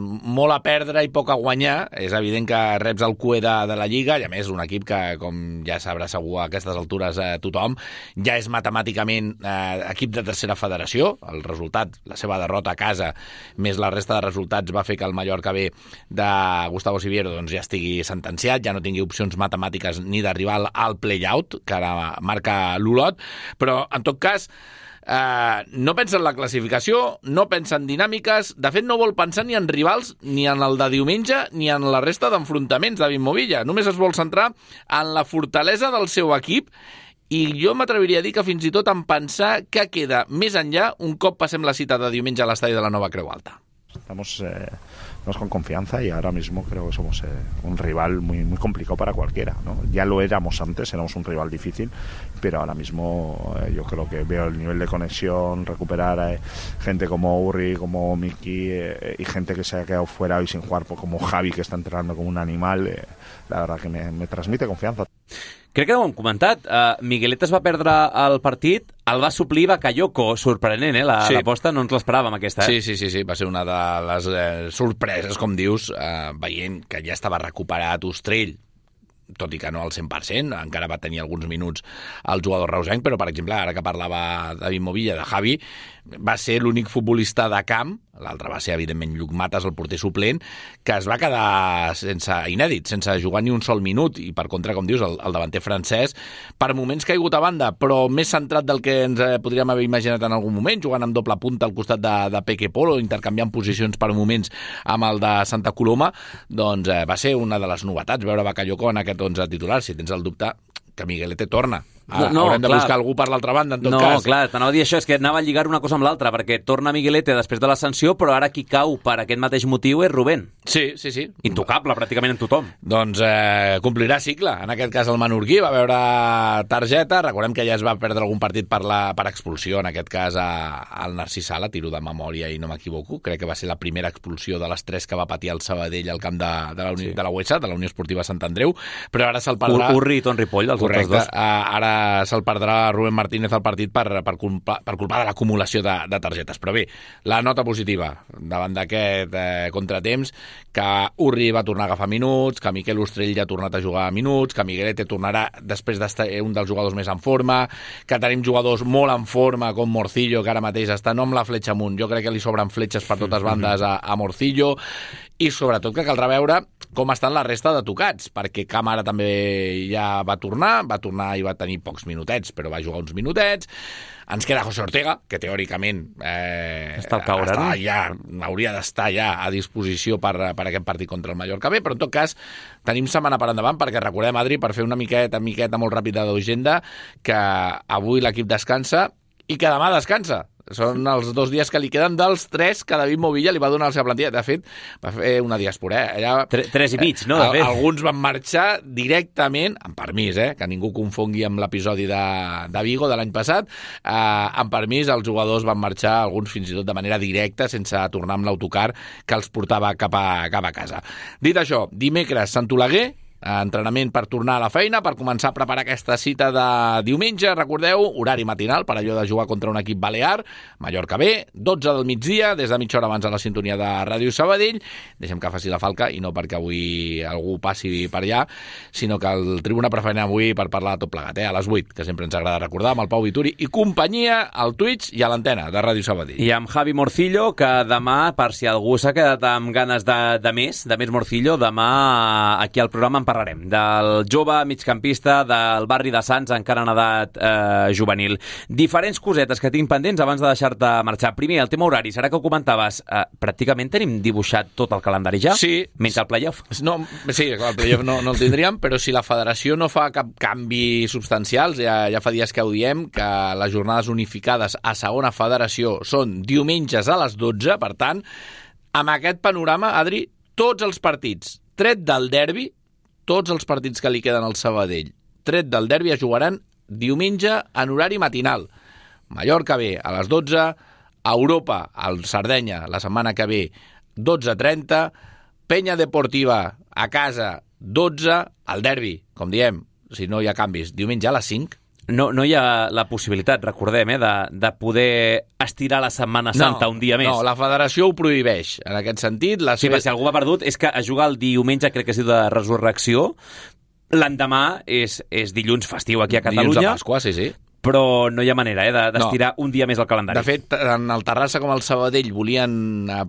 D: molt a perdre i poc a guanyar. És evident que reps el cue de, de la Lliga, i a més un equip que, com ja sabrà segur aquesta altures a tothom, ja és matemàticament eh, equip de tercera federació. El resultat, la seva derrota a casa, més la resta de resultats, va fer que el Mallorca B de Gustavo Siviero doncs, ja estigui sentenciat, ja no tingui opcions matemàtiques ni d'arribar al play-out, que ara marca l'Olot, però en tot cas Uh, no pensa en la classificació, no pensa en dinàmiques, de fet no vol pensar ni en rivals, ni en el de diumenge, ni en la resta d'enfrontaments, David Movilla. Només es vol centrar en la fortalesa del seu equip, i jo m'atreviria a dir que fins i tot en pensar que queda més enllà un cop passem la cita de diumenge a l'estadi de la nova Creu Alta.
E: Estamos, eh, estamos con confianza y ahora mismo creo que somos eh, un rival muy, muy complicado para cualquiera, ¿no? Ya lo éramos antes, éramos un rival difícil, pero ahora mismo eh, yo creo que veo el nivel de conexión, recuperar a eh, gente como Urri, como Miki eh, y gente que se ha quedado fuera y sin jugar, como Javi, que está entrenando como un animal, eh, la verdad que me, me transmite confianza.
A: Crec que no ho hem comentat. Uh, Miguelet es va perdre el partit, el va suplir Bakayoko. Sorprenent, eh? La, sí. L'aposta no ens l'esperàvem, aquesta. Eh?
D: Sí, sí, sí, sí, va ser una de les eh, sorpreses, com dius, eh, veient que ja estava recuperat Ostrell, tot i que no al cent per cent, encara va tenir alguns minuts el jugador reusenc, però, per exemple, ara que parlava David Movilla de Javi, va ser l'únic futbolista de camp, l'altre va ser, evidentment, Lluc Matas, el porter suplent, que es va quedar sense inèdit, sense jugar ni un sol minut, i per contra, com dius, el, el davanter francès, per moments caigut a banda, però més centrat del que ens podríem haver imaginat en algun moment, jugant amb doble punta al costat de, de Peque Polo, intercanviant posicions per moments amb el de Santa Coloma, doncs eh, va ser una de les novetats, veure Bakayoko en aquest onze titular. Si tens el dubte, que Miguelete torna. Ara, no, no, haurem de clar. Buscar algú per l'altra banda, en tot
A: no,
D: cas.
A: No, clar, t'anava a dir això, és que anava a lligar una cosa amb l'altra, perquè torna Miguelete després de la sanció, però ara qui cau per aquest mateix motiu és Rubén.
D: Sí, sí, sí.
A: Intocable, pràcticament en tothom.
D: Doncs eh, complirà cicle. En aquest cas el Menorquí va veure targeta. Recordem que ja es va perdre algun partit per, la, per expulsió, en aquest cas a, al Narcís Sala, tiro de memòria i no m'equivoco. Crec que va ser la primera expulsió de les tres que va patir el Sabadell al camp de, de la Unió, sí. de la U E S A, de la Unió Esportiva Sant Andreu, però ara se'l perdrà...
A: Ur Urri i Ton Ripoll, dels
D: correcte,
A: altres dos.
D: Ara eh, se'l perdrà Rubén Martínez al partit per, per, culpa, per culpa de l'acumulació de, de targetes. Però bé, la nota positiva davant d'aquest eh, contratemps, que Urri va tornar a agafar minuts, que Miquel Ostrell ja ha tornat a jugar minuts, que Miguelete tornarà després d'estar un dels jugadors més en forma, que tenim jugadors molt en forma com Morcillo, que ara mateix està no amb la fletxa amunt, jo crec que li sobren fletxes per totes bandes a, a Morcillo, i sobretot que caldrà veure com estan la resta de tocats, perquè Camara també ja va tornar, va tornar i va tenir pocs minutets, però va jugar uns minutets. Ens queda José Ortega, que teòricament eh,
F: està al caure,
D: està
F: no?
D: ja, hauria d'estar ja a disposició per, per aquest partit contra el Mallorca B, però en tot cas tenim setmana per endavant, perquè recordem, Adri, per fer una miqueta, miqueta molt ràpida d'agenda, que avui l'equip descansa i que demà descansa. Són els dos dies que li queden dels tres que David Movilla li va donar a la seva plantilla. De fet, va fer una diàspora. Eh? Allà,
F: Tre, tres i mig, no? De fet.
D: Alguns van marxar directament, amb permís, eh? Que ningú confongui amb l'episodi de, de Vigo de l'any passat. Eh, amb permís, els jugadors van marxar, alguns fins i tot de manera directa, sense tornar amb l'autocar que els portava cap a, cap a casa. Dit això, dimecres, Sant Oleguer, entrenament per tornar a la feina, per començar a preparar aquesta cita de diumenge. Recordeu, horari matinal per allò de jugar contra un equip balear, Mallorca B, dotze del migdia, des de mitja hora abans a la sintonia de Ràdio Sabadell. Deixem que faci la falca, i no perquè avui algú passi per allà, sinó que el tribuna preferent avui per parlar de tot plegat, eh? A les vuit, que sempre ens agrada recordar, amb el Pau Vituri i companyia, al Twitch i a l'antena de Ràdio Sabadell.
A: I amb Javi Morcillo, que demà, per si algú s'ha quedat amb ganes de, de més, de més Morcillo, demà aquí al programa en parlarem del jove migcampista del barri de Sants, encara en edat eh, juvenil. Diferents cosetes que tinc pendents abans de deixar-te marxar. Primer, el tema horari, serà que ho comentaves, eh, pràcticament tenim dibuixat tot el calendari ja?
D: Sí.
A: Menys el playoff?
D: No, sí, el playoff no, no el tindríem, però si la federació no fa cap canvi substancial, ja, ja fa dies que ho diem, que les jornades unificades a segona federació són diumenges a les dotze, per tant, amb aquest panorama, Adri, tots els partits, tret del derbi, tots els partits que li queden al Sabadell, tret del derbi, es jugaran diumenge en horari matinal. Mallorca B a les dotze, Europa, al Sardenya, la setmana que ve, dotze trenta, Penya Deportiva a casa, dotze, el derbi, com diem, si no hi ha canvis, diumenge a les cinc.
A: No, no hi ha la possibilitat, recordem, eh, de, de poder estirar la Setmana Santa
D: no,
A: un dia més.
D: No, la federació ho prohibeix. En aquest sentit... La
A: sí,
D: seva...
A: si algú va perdut, és que a jugar el diumenge, crec que és de resurrecció, l'endemà és, és dilluns festiu aquí a Catalunya.
D: Dilluns de Pasqua, sí, sí.
A: Però no hi ha manera eh, d'estirar no. un dia més el calendari.
D: De fet, tant el Terrassa com el Sabadell volien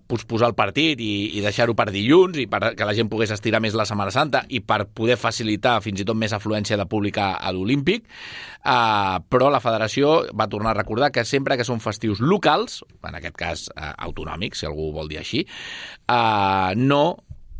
D: posposar el partit i, i deixar-ho per dilluns, i per que la gent pogués estirar més la Setmana Santa i per poder facilitar fins i tot més afluència de públic a l'Olímpic, uh, però la federació va tornar a recordar que sempre que són festius locals, en aquest cas uh, autonòmics, si algú vol dir així, uh, no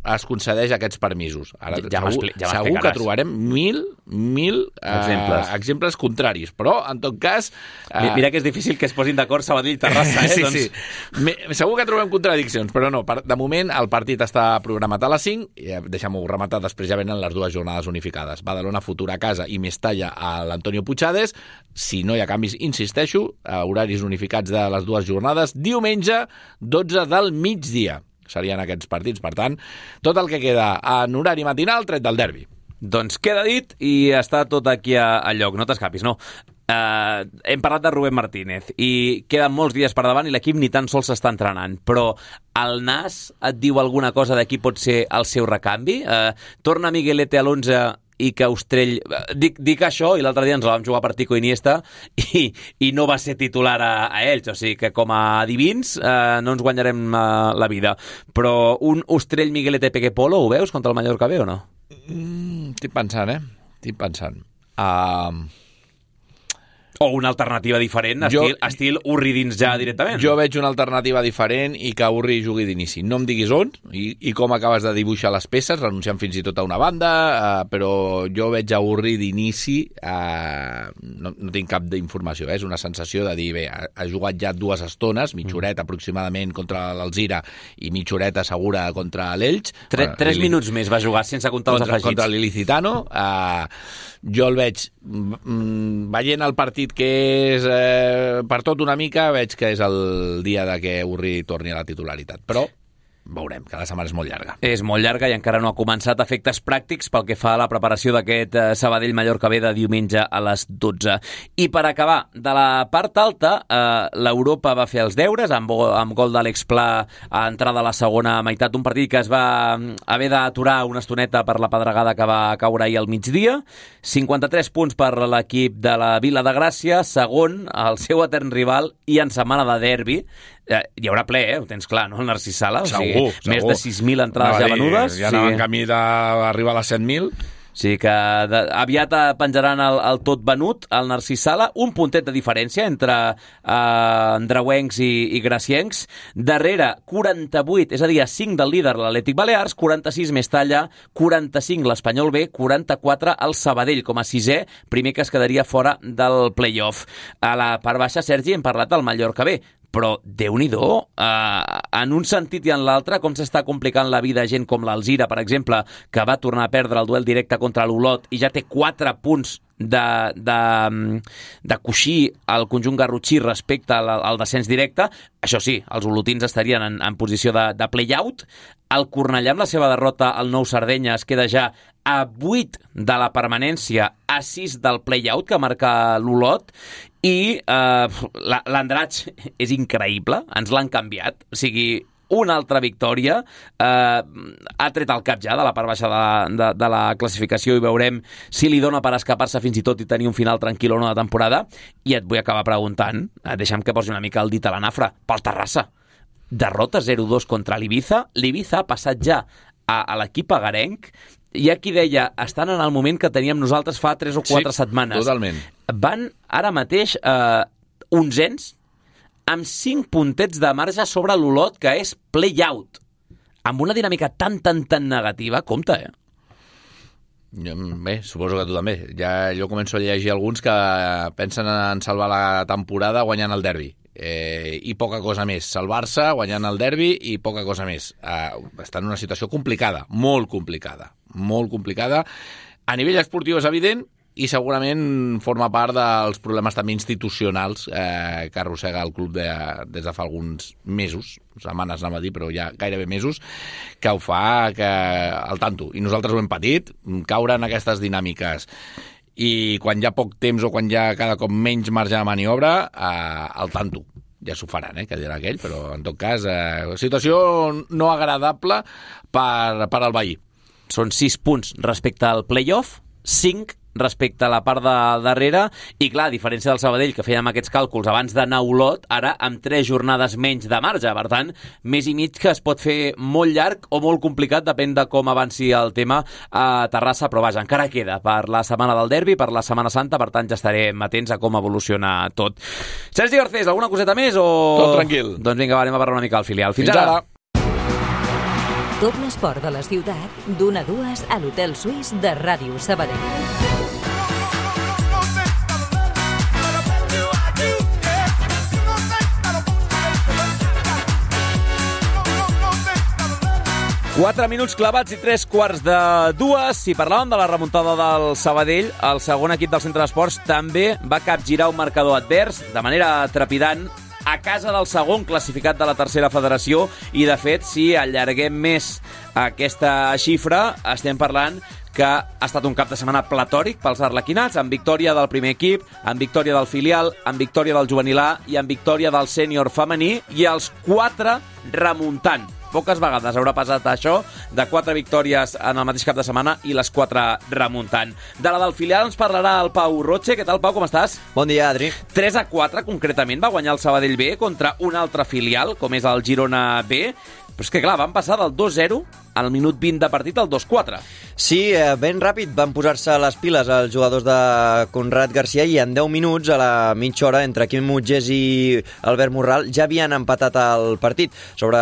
D: es concedeix aquests permisos. Ara,
A: ja
D: segur
A: ja
D: segur que trobarem mil, mil
A: exemples.
D: Uh, exemples contraris, però en tot cas...
A: Uh... Mira que és difícil que es posin d'acord Sabadell i Terrassa, eh?
D: sí,
A: doncs...
D: sí. Me, segur que trobem contradiccions, però no, per, de moment el partit està programat a les cinc, i deixem-ho rematar, després ja venen les dues jornades unificades. Badalona Futura a casa i Mestalla a l'Antonio Puigades. Si no hi ha canvis, insisteixo, horaris unificats de les dues jornades, diumenge, dotze del migdia. Serien aquests partits. Per tant, tot el que queda en horari matinal, tret del derbi.
A: Doncs queda dit i està tot aquí a, a lloc. No t'escapis, no. Uh, hem parlat de Rubén Martínez i queden molts dies per davant i l'equip ni tan sols s'està entrenant, però el Nas et diu alguna cosa de qui pot ser el seu recanvi? Uh, torna Miguelete a l'onze i que Ostrell... Dic, dic això, i l'altre dia ens la vam jugar per Tico Iniesta i, i no va ser titular a, a ells, o sigui que com a divins eh, no ens guanyarem eh, la vida. Però un Ostrell Miguelete Peque Polo, ho veus contra el Mallorca B o no?
D: Mm, estic pensant, eh? Estic pensant. Uh...
A: O una alternativa diferent, estil, jo, estil Urri dins ja directament.
D: Jo veig una alternativa diferent i que Urri jugui d'inici. No em diguis on i, i com acabes de dibuixar les peces, renunciant fins i tot a una banda, uh, però jo veig a Urri d'inici, uh, no, no tinc cap d'informació, eh? És una sensació de dir, bé, ha, ha jugat ja dues estones, mitja horeta aproximadament contra l'Alzira i mitja horeta segura contra l'Elx.
A: Tre, tres uh, minuts més va jugar, sense comptar
D: contra,
A: els afegits.
D: Contra l'Ilicitano. Uh, jo el veig, mm, veient el partit que és eh, per tot una mica, veig que és el dia de que Urri torni a la titularitat. Però veurem, cada setmana és molt llarga.
A: És molt llarga i encara no ha començat efectes pràctics pel que fa a la preparació d'aquest eh, Sabadell-Mallorca B de diumenge a les dotze. I per acabar, de la part alta, eh, l'Europa va fer els deures amb, amb gol d'Àlex Pla a entrada a la segona meitat, un partit que es va haver d'aturar una estoneta per la pedregada que va caure ahir al migdia. cinquanta-tres punts per l'equip de la Vila de Gràcia, segon, el seu etern rival, i en setmana de derbi. Hi haurà ple, eh? Ho tens clar, no? El Narcís Sala.
D: Segur,
A: o sigui,
D: segur.
A: Més de sis mil entrades ja venudes.
D: Ja anaven sí. camí d'arribar a les set mil.
A: Sí, que de, aviat penjaran el, el tot venut, el Narcís Sala, un puntet de diferència entre eh, andreuencs i, i graciencs. Darrere, quaranta-vuit, és a dir, cinc del líder l'Atlètic Balears, quaranta-sis Mestalla, quaranta-cinc l'Espanyol B, quaranta-quatre el Sabadell com a sisè, primer que es quedaria fora del play-off. A la part baixa, Sergi, hem parlat del Mallorca B, però Déu-n'hi-do, eh, en un sentit i en l'altre, com s'està complicant la vida gent com l'Alzira, per exemple, que va tornar a perdre el duel directe contra l'Olot i ja té quatre punts de, de, de coixí al conjunt garrotxí respecte al, al descens directe. Això sí, els olotins estarien en, en posició de, de play-out. El Cornellà, amb la seva derrota al Nou Sardenya, es queda ja a vuit de la permanència, a sis del play-out que marca l'Olot, i eh, l'Andratx és increïble, ens l'han canviat, o sigui, una altra victòria, eh, ha tret el cap ja de la part baixa de, de, de la classificació i veurem si li dona per escapar-se fins i tot i tenir un final tranquil o no de temporada. I et vull acabar preguntant, eh, deixa'm que posi una mica el dit a la nafra, pel Terrassa. Derrota zero dos contra l'Ibiza, l'Ibiza ha passat ja a, a l'equip agarenc. Hi ha qui deia, estan en el moment que teníem nosaltres fa tres o quatre
D: sí,
A: setmanes.
D: Totalment.
A: Van ara mateix eh, onzens amb cinc puntets de marge sobre l'Olot, que és play-out. Amb una dinàmica tan, tan, tan negativa, compte, eh?
D: Bé, suposo que tu també. Ja jo començo a llegir alguns que pensen en salvar la temporada guanyant el derbi. Eh, i poca cosa més. Salvar-se guanyant el derbi i poca cosa més. Eh, està en una situació complicada, molt complicada, molt complicada. A nivell esportiu és evident i segurament forma part dels problemes també institucionals eh, que arrossega el club de, des de fa alguns mesos, setmanes anava a dir, però ja gairebé mesos, que ho fa que, al tanto. I nosaltres ho hem patit, caure en aquestes dinàmiques. I quan hi ha poc temps o quan hi ha cada cop menys marge de maniobra, eh, al tanto. Ja s'ho faran, eh, que dirà aquell, però en tot cas, eh, situació no agradable per, per al veí.
A: Són sis punts respecte al play-off, cinc respecte a la part de darrere, i clar, a diferència del Sabadell, que fèiem aquests càlculs abans d'anar a Olot, ara amb tres jornades menys de marge, per tant, més i mig que es pot fer molt llarg o molt complicat, depèn de com avanci el tema a Terrassa, però vaja, encara queda per la setmana del derbi, per la Setmana Santa, per tant ja estarem atents a com evoluciona tot. Sergi Garcés, alguna coseta més o...?
D: Tot tranquil.
A: Doncs vinga, va, anem a parlar una mica al filial. Fins,
D: Fins
A: ara!
D: ara.
B: Tot l'esport de la ciutat, d'una a dues a l'Hotel Suís de Ràdio Sabadell.
A: Quatre minuts clavats i tres quarts de dues. Si parlàvem de la remuntada del Sabadell, el segon equip del Centre d'Esports també va capgirar un marcador advers de manera trepidant a casa del segon classificat de la tercera federació, i de fet, si allarguem més aquesta xifra, estem parlant que ha estat un cap de setmana platòric pels arlequinats, amb victòria del primer equip, amb victòria del filial, amb victòria del juvenil A i amb victòria del sènior femení, i els quatre remuntant. Poques vegades haurà passat això, de quatre victòries en el mateix cap de setmana i les quatre remuntant. De la del filial ens parlarà el Pau Roche. Què tal, Pau, com estàs?
G: Bon dia, Adri.
A: tres a quatre, concretament, va guanyar el Sabadell B contra un altre filial, com és el Girona B. Però és que, clar, van passar del dos zero al minut vint de partit al dos quatre.
G: Sí, eh, ben ràpid van posar-se les piles els jugadors de Conrad Garcia, i en deu minuts, a la mitja hora, entre Quim Mutgés i Albert Morral, ja havien empatat el partit. Sobre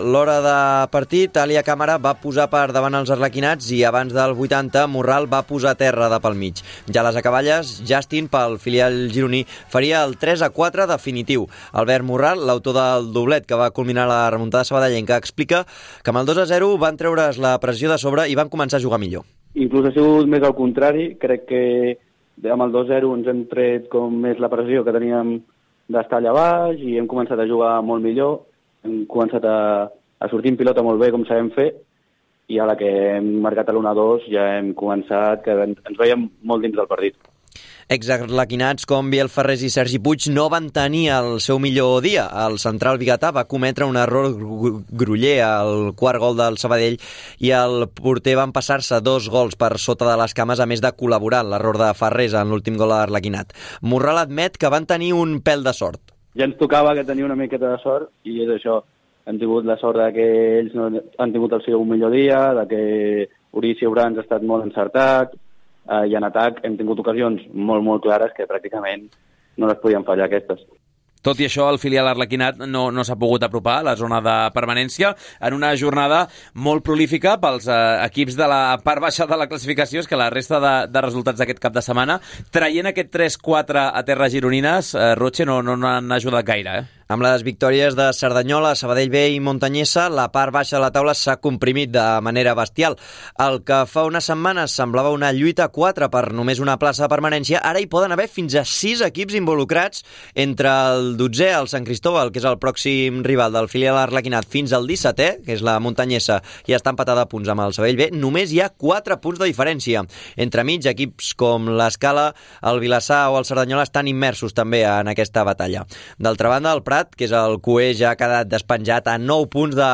G: l'hora de partit, Alia Càmara va posar per davant els arlequinats, i abans del vuitanta, Morral va posar terra de pel mig. Ja a les acaballes, Justin, pel filial gironí, faria el tres a quatre definitiu. Albert Morral, l'autor del doblet que va culminar la remuntada sabadellenca, explica que amb el dos a zero van treure's la pressió de sobre i van començar a jugar millor.
H: Inclús ha sigut més al contrari. Crec que amb el dos zero ens hem tret com més la pressió que teníem d'estar allà baix i hem començat a jugar molt millor. Hem començat a, a sortir en pilota molt bé, com sabem fer, i a la que hem marcat a l'u a dos ja hem començat, que ens veiem molt dins del partit.
G: Exarlequinats com Biel Ferrés i Sergi Puig no van tenir el seu millor dia. El central biguetà va cometre un error groller al quart gol del Sabadell i el porter van passar-se dos gols per sota de les cames, a més de col·laborar en l'error de Ferrés en l'últim gol a Arlequinat. Morral admet que van tenir un pèl de sort.
H: Ja ens tocava que tenia una miqueta de sort i és això. Hem tingut la sort de que ells no han tingut el seu millor dia, de que Urici Urans ha estat molt encertat, Uh, i en atac hem tingut ocasions molt, molt clares que pràcticament no les podien fallar aquestes.
A: Tot i això, el filial arlequinat no, no s'ha pogut apropar a la zona de permanència en una jornada molt prolífica pels eh, equips de la part baixa de la classificació. És que la resta de, de resultats d'aquest cap de setmana, traient aquest tres quatre a terres gironines, eh, Roche, no, no, no han ajudat gaire, eh?
G: Amb les victòries de Cerdanyola, Sabadell B i Montanyesa, la part baixa de la taula s'ha comprimit de manera bestial. El que fa unes setmanes semblava una lluita a quatre per només una plaça de permanència, ara hi poden haver fins a sis equips involucrats, entre el dotzè, el Sant Cristóbal, que és el pròxim rival del filial arlequinat, fins al dissetè, que és la Montanyesa, i està empatada a punts amb el Sabadell B. Només hi ha quatre punts de diferència. Entremig, equips com l'Escala, el Vilassar o el Cerdanyola estan immersos també en aquesta batalla. D'altra banda, el Prat, que és el cuer, ja ha quedat despenjat a nou punts de,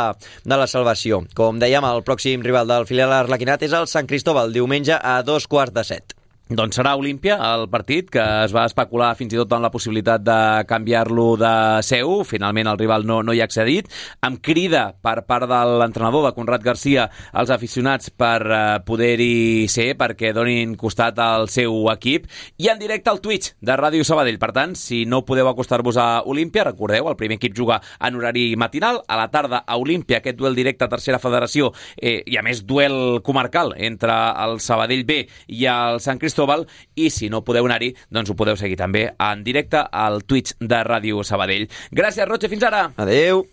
G: de la salvació. Com dèiem, el pròxim rival del filial arlequinat és el Sant Cristóbal, diumenge a dos quarts de set.
A: Doncs serà Olímpia el partit, que es va especular fins i tot amb la possibilitat de canviar-lo de seu. Finalment el rival no, no hi ha accedit. Amb crida per part de l'entrenador de Conrad Garcia als aficionats per eh, poder-hi ser, perquè donin costat al seu equip. I en directe al Twitch de Ràdio Sabadell. Per tant, si no podeu acostar-vos a Olímpia, recordeu, el primer equip juga en horari matinal. A la tarda a Olímpia, aquest duel directe a tercera federació, eh, i a més duel comarcal entre el Sabadell B i el Sant Cristóbal. I si no podeu anar-hi, doncs ho podeu seguir també en directe al Twitch de Ràdio Sabadell. Gràcies, Roche, fins ara.
G: Adeu.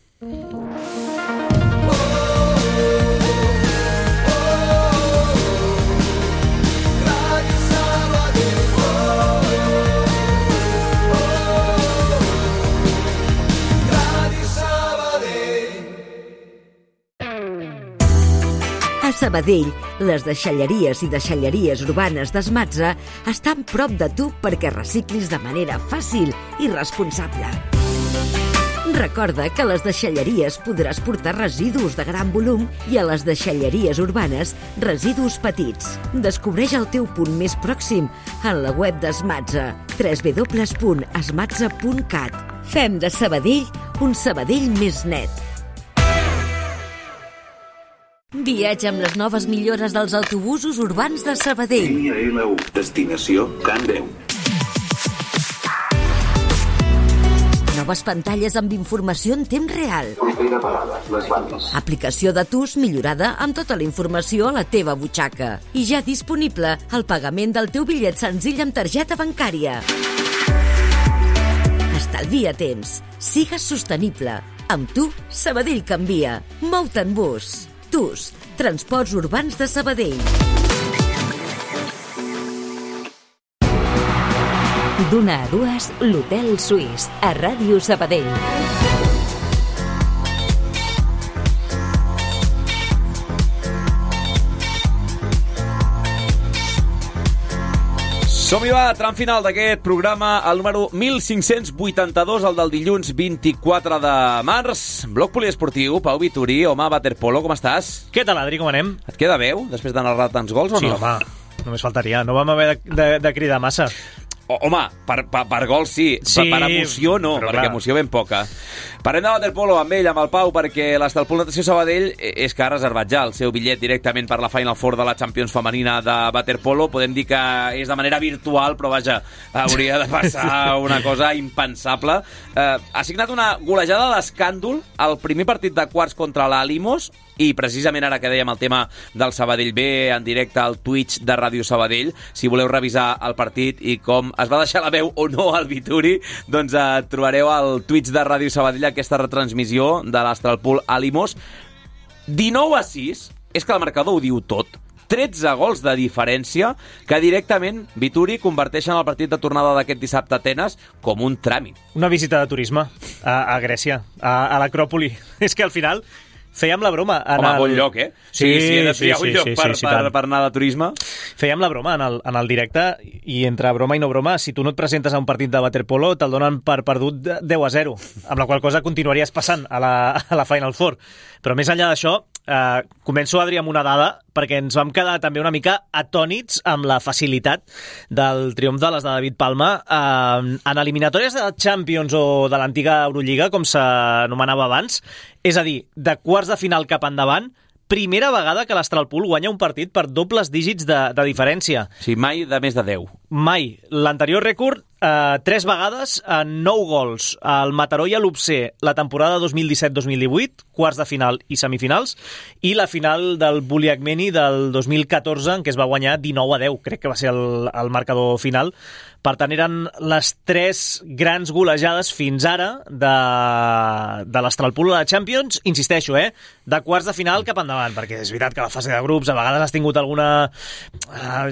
B: A Sabadell, les deixalleries i deixalleries urbanes d'Esmatza estan prop de tu perquè reciclis de manera fàcil i responsable. Recorda que a les deixalleries podràs portar residus de gran volum i a les deixalleries urbanes residus petits. Descobreix el teu punt més pròxim en la web d'Esmatza, w w w punt esmatza punt cat. Fem de Sabadell un Sabadell més net. Viatja amb les noves millores dels autobusos urbans de Sabadell.
I: Línia L u, destinació Can Deu.
B: Noves pantalles amb informació en temps real.
I: Propera parada, les bandes.
B: Aplicació de T U S millorada amb tota la informació a la teva butxaca. I ja disponible el pagament del teu bitllet senzill amb targeta bancària. Estalvia temps. Sigues sostenible. Amb tu, Sabadell canvia. Mou-te en bus. T U S, Transports Urbans de Sabadell. D'una a dues, l'Hotel Suís, a Ràdio Sabadell.
A: Som-hi, va, tram final d'aquest programa, el número mil cinc-cents vuitanta-dos, el del dilluns vint-i-quatre de març. Bloc poliesportiu, Pau Vituri, home, waterpolo, com estàs?
J: Què tal, Adri, com anem?
A: Et queda veu, després de narrar tants gols o
J: sí,
A: no?
J: Sí, home, només faltaria. No vam haver de, de, de cridar massa.
A: O, home, per, per, per gol sí,
J: sí,
A: per, per emoció no, perquè clar. Emoció ben poca. Parlem de waterpolo amb ell, amb el Pau, perquè l'Estalpol Natació Sabadell és que ha reservat ja el seu bitllet directament per la Final Four de la Champions femenina de waterpolo. Podem dir que és de manera virtual, però vaja, hauria de passar una cosa impensable. Eh, ha signat una golejada d'escàndol al primer partit de quarts contra l'Alimos, i precisament ara que dèiem el tema del Sabadell B en directe al Twitch de Ràdio Sabadell, si voleu revisar el partit i com es va deixar la veu o no al Vituri, doncs eh, trobareu al Twitch de Ràdio Sabadell aquesta retransmissió de l'Astralpool Alimos. dinou a sis, és que el marcador ho diu tot. tretze gols de diferència que directament Vituri converteixen el partit de tornada d'aquest dissabte a Atenes com un tràmit.
J: Una visita de turisme a, a Grècia, a, a l'Acròpoli. És que al final Fèiem la broma. En
A: Home,
J: el...
A: bon lloc, eh?
J: Sí,
A: sí, sí, he de
J: sí,
A: triar
J: sí,
A: un lloc
J: sí,
A: per,
J: sí, sí,
A: per,
J: tant.
A: per anar de turisme.
J: Fèiem la broma en el, en el directe i entre broma i no broma, si tu no et presentes a un partit de waterpolo, te'l donen per perdut de deu a zero, amb la qual cosa continuaries passant a la, a la Final Four. Però més enllà d'això, eh, començo, Adri, amb una dada, perquè ens vam quedar també una mica atònits amb la facilitat del triomf de les de David Palma eh, en eliminatòries de Champions o de l'antiga Eurolliga, com s'anomenava abans, és a dir, de quarts de final cap endavant, primera vegada que l'Astralpool guanya un partit per dobles dígits de, de diferència.
A: Sí, mai de més de deu.
J: Mai. L'anterior rècord, eh, tres vegades, en nou gols. El Mataró i l'Upsé, la temporada dos mil disset dos mil divuit, quarts de final i semifinals, i la final del Buliagmeni del dos mil catorze, en què es va guanyar dinou a deu. Crec que va ser el, el marcador final. Per tant, eren les tres grans golejades fins ara de, de l'Astralpool a la Champions. Insisteixo, eh? De quarts de final cap endavant, perquè és veritat que la fase de grups a vegades has tingut alguna... Uh,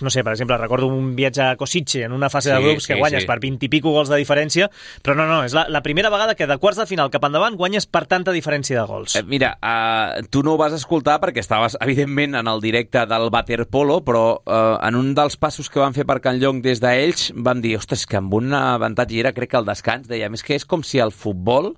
J: no sé, per exemple, recordo un viatge a Kosice en una fase sí, de grups que sí, guanyes sí. per vint i pico gols de diferència, però no, no, és la, la primera vegada que de quarts de final cap endavant guanyes per tanta diferència de gols.
A: Eh, mira, uh, tu no ho vas escoltar perquè estaves, evidentment, en el directe del waterpolo, però uh, en un dels passos que van fer per Can Llong des d'ells vam dir, ostres, que amb un avantatge era, crec que el descans, deia, més que és com si el futbol,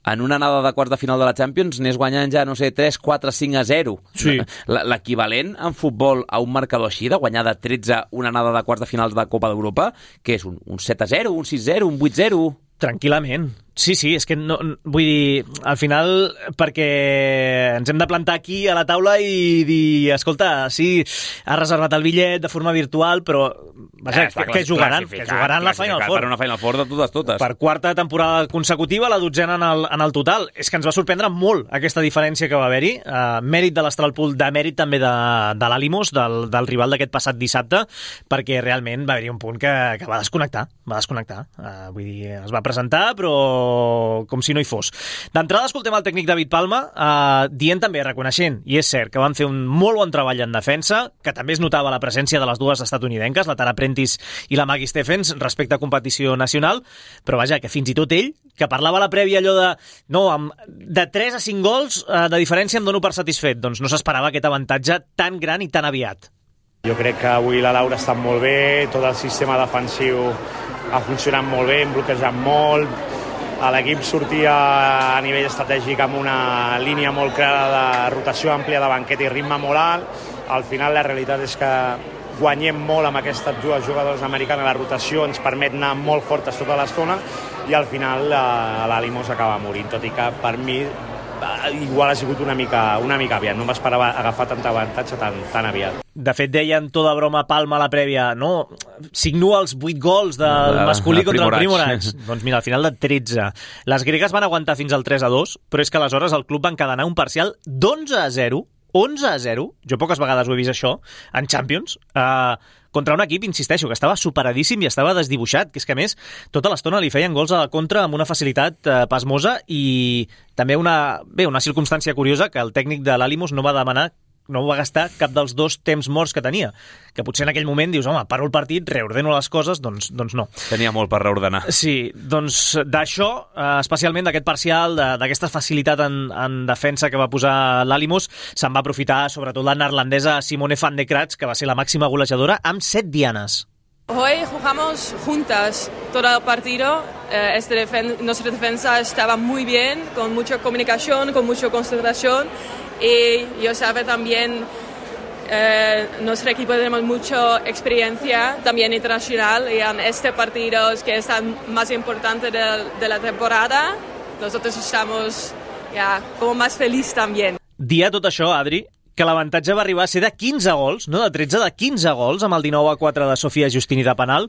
A: en una anada de quarts de final de la Champions, anés guanyant ja, no sé, tres, quatre, cinc a zero.
J: Sí.
A: L'equivalent en futbol a un marcador així, de guanyar de tretze una anada de quarts de finals de Copa d'Europa, que és un, un set a zero, un sis a zero, un vuit a zero...
J: Tranquil·lament. Sí, sí, és que no, vull dir, al final, perquè ens hem de plantar aquí a la taula i dir, escolta, sí, has reservat el bitllet de forma virtual, però vaja, eh, que, que jugaran, que jugaran la Final Four.
A: Per una Final Four de totes, totes.
J: Per quarta temporada consecutiva, la dotzena en el, en el total. És que ens va sorprendre molt aquesta diferència que va haver-hi. Uh, mèrit de l'Astralpool, de mèrit també de, de l'Alimos, del, del rival d'aquest passat dissabte, perquè realment va haver-hi un punt que, que va desconnectar, va desconnectar. Uh, vull dir, es va presentar, però com si no hi fos. D'entrada escoltem el tècnic David Palma eh, dient també, reconeixent, i és cert, que van fer un molt bon treball en defensa, que també es notava la presència de les dues estatunidenques, la Tara Prentice i la Maggie Stephens, respecte a competició nacional, però vaja, que fins i tot ell, que parlava a la prèvia allò de no, amb, de tres a cinc gols eh, de diferència em dono per satisfet, doncs no s'esperava aquest avantatge tan gran i tan aviat.
K: Jo crec que avui la Laura està molt bé, tot el sistema defensiu ha funcionat molt bé, hem bloquejat molt, l'equip sortia a nivell estratègic amb una línia molt clara de rotació àmplia de banqueta i ritme molt alt. Al final la realitat és que guanyem molt amb aquestes dues jugadores americanes, la rotació ens permet anar molt fortes tota l'estona i al final l'Alimos acaba morint, tot i que per mi igual ha sigut una mica, una mica aviat, no m'esperava agafar tant avantatge tan, tan aviat.
J: De fet, deien tota broma Palma a la prèvia, no? Signua els vuit gols del masculí contra el Primorac. Doncs mira, al final de tretze. Les gregues van aguantar fins al tres a dos, però és que aleshores el club va encadenar un parcial d'onze a zero, onze a zero, jo poques vegades ho he vist això, en Champions, eh, contra un equip, insisteixo, que estava superadíssim i estava desdibuixat, que és que a més tota l'estona li feien gols a la contra amb una facilitat eh, pasmosa i també una, bé, una circumstància curiosa que el tècnic de l'Alimos no va demanar, no va gastar cap dels dos temps morts que tenia, que potser en aquell moment dius, home, paro el partit, reordeno les coses, doncs, doncs no.
A: Tenia molt per reordenar.
J: Sí, doncs d'això, eh, especialment d'aquest parcial, d'aquesta facilitat en, en defensa que va posar l'Alimos, se'n va aprofitar sobretot la neerlandesa Simone van de Kratz, que va ser la màxima golejadora, amb set dianes.
L: Hoy jugamos juntas todo el partido. Eh, este defen- nuestra defensa estaba muy bien, con mucha comunicación, con mucha concentración. Y yo sabe también, eh, nuestro equipo tenemos mucha experiencia, también internacional, y en este partido que es el más importante de, de la temporada, nosotros estamos ya como más felices también.
J: Dia tot això, Adri, que l'avantatge va arribar a ser de quinze gols, no de tretze, de quinze gols, amb el dinou a quatre de Sofia Justini de penal,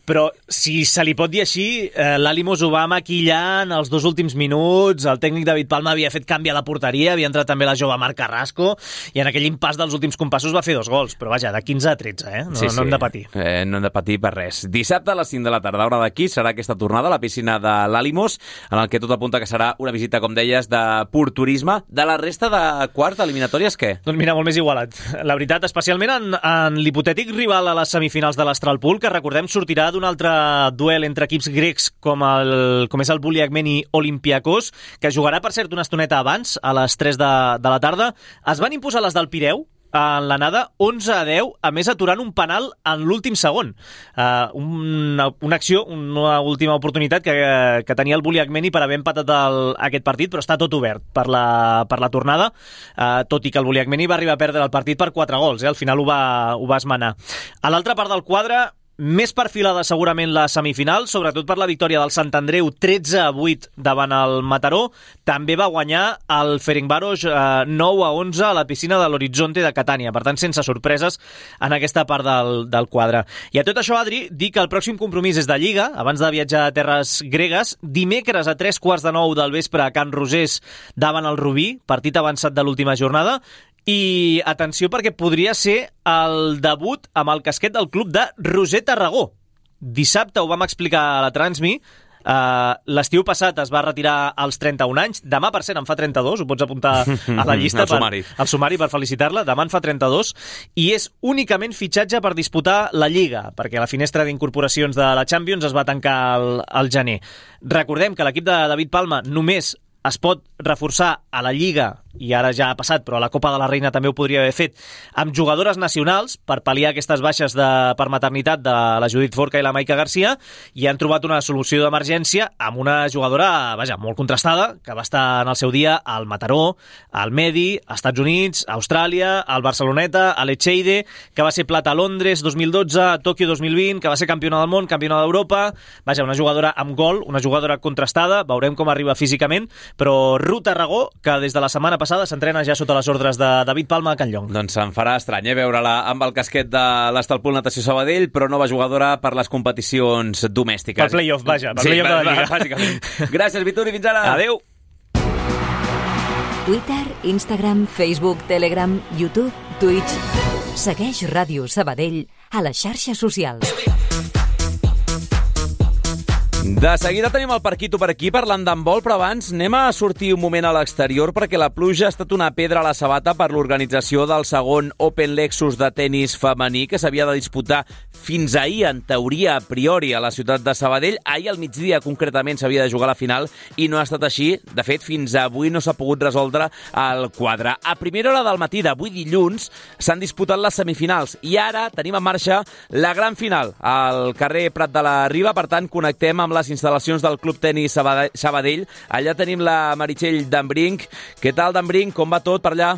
J: però si se li pot dir així, eh, l'Alimos ho va maquillar en els dos últims minuts, el tècnic David Palma havia fet canvi a la porteria, havia entrat també la jove Marc Carrasco, i en aquell impàs dels últims compassos va fer dos gols, però vaja, de quinze a tretze, eh? No,
A: sí,
J: no
A: sí.
J: hem de patir.
A: Eh, no hem de patir per res. Dissabte a les cinc de la tarda, hora d'aquí, serà aquesta tornada a la piscina de l'Alimos, en el que tot apunta que serà una visita, com deies, de pur turisme. De la resta de quarts eliminatòries, què?
J: Doncs mira, molt més igualat. La veritat, especialment en, en l'hipotètic rival a les semifinals de l'Astralpool, que recordem sortirà d'un altre duel entre equips grecs com, el, com és el Buliagmeni Olympiakos, que jugarà, per cert, una estoneta abans, a les tres de, de la tarda. Es van imposar les del Pireu en l'anada onze a deu, a més aturant un penal en l'últim segon. Uh, una, una acció, una última oportunitat que, que tenia el Buliagmeni per haver empatat el, aquest partit, però està tot obert per la, per la tornada, uh, tot i que el Buliagmeni va arribar a perdre el partit per quatre gols, eh? Al final ho va, ho va esmenar. A l'altra part del quadre, més perfilada segurament la semifinal, sobretot per la victòria del Sant Andreu tretze a vuit davant el Mataró. També va guanyar el Ferencváros eh, nou a onze a la piscina de l'Horizonte de Catània. Per tant, sense sorpreses en aquesta part del, del quadre. I a tot això, Adri, dir que el pròxim compromís és de Lliga, abans de viatjar a terres gregues, dimecres a tres quarts de nou del vespre a Can Rosés davant el Rubí, partit avançat de l'última jornada. I atenció, perquè podria ser el debut amb el casquet del club de Roser Tarragó. Dissabte ho vam explicar a la Transmi. Uh, l'estiu passat es va retirar als trenta-un anys. Demà, per cert, en fa trenta-dos. Ho pots apuntar a la llista.
A: El sumari.
J: Per, el sumari per felicitar-la. Demà en fa trenta-dos. I és únicament fitxatge per disputar la Lliga, perquè la finestra d'incorporacions de la Champions es va tancar al, al gener. Recordem que l'equip de David Palma només es pot reforçar a la Lliga, i ara ja ha passat, però a la Copa de la Reina també ho podria haver fet, amb jugadores nacionals per pal·liar aquestes baixes de, per maternitat de la Judit Forca i la Maica Garcia, i han trobat una solució d'emergència amb una jugadora, vaja, molt contrastada, que va estar en el seu dia al Mataró, al Medi, als Estats Units, a Austràlia, al Barceloneta, a l'Echeide, que va ser plata a Londres dos mil dotze, a Tòquio dos mil vint, que va ser campiona del món, campiona d'Europa. Vaja, una jugadora amb gol, una jugadora contrastada, veurem com arriba físicament, però Ru Tarragó, que des de la setmana passada s'entrena ja sota les ordres de David Palma a Can Llong.
A: Doncs se'n farà estrany, eh, veure-la amb el casquet de l'Estalpul Natació Sabadell, però nova jugadora per les competicions domèstiques.
J: Per playoff, vaja, per
A: sí,
J: playoff de la Lliga.
A: Bàsicament. Gràcies, Vituri, fins ara.
J: Adéu.
B: Twitter, Instagram, Facebook, Telegram, YouTube, Twitch. Segueix Ràdio Sabadell a les xarxes socials.
A: De seguida tenim el Parquito per aquí parlant d'handbol, però abans anem a sortir un moment a l'exterior perquè la pluja ha estat una pedra a la sabata per l'organització del segon Open Lexus de tenis femení que s'havia de disputar fins ahir, en teoria, a priori, a la ciutat de Sabadell. Ahir al migdia, concretament, s'havia de jugar la final i no ha estat així. De fet, fins avui no s'ha pogut resoldre el quadre. A primera hora del matí d'avui dilluns s'han disputat les semifinals i ara tenim en marxa la gran final al carrer Prat de la Riba. Per tant, connectem amb les instal·lacions del Club Tenis Sabadell. Allà tenim la Meritxell Dambrink. Què tal, Dambrink? Com va tot per allà?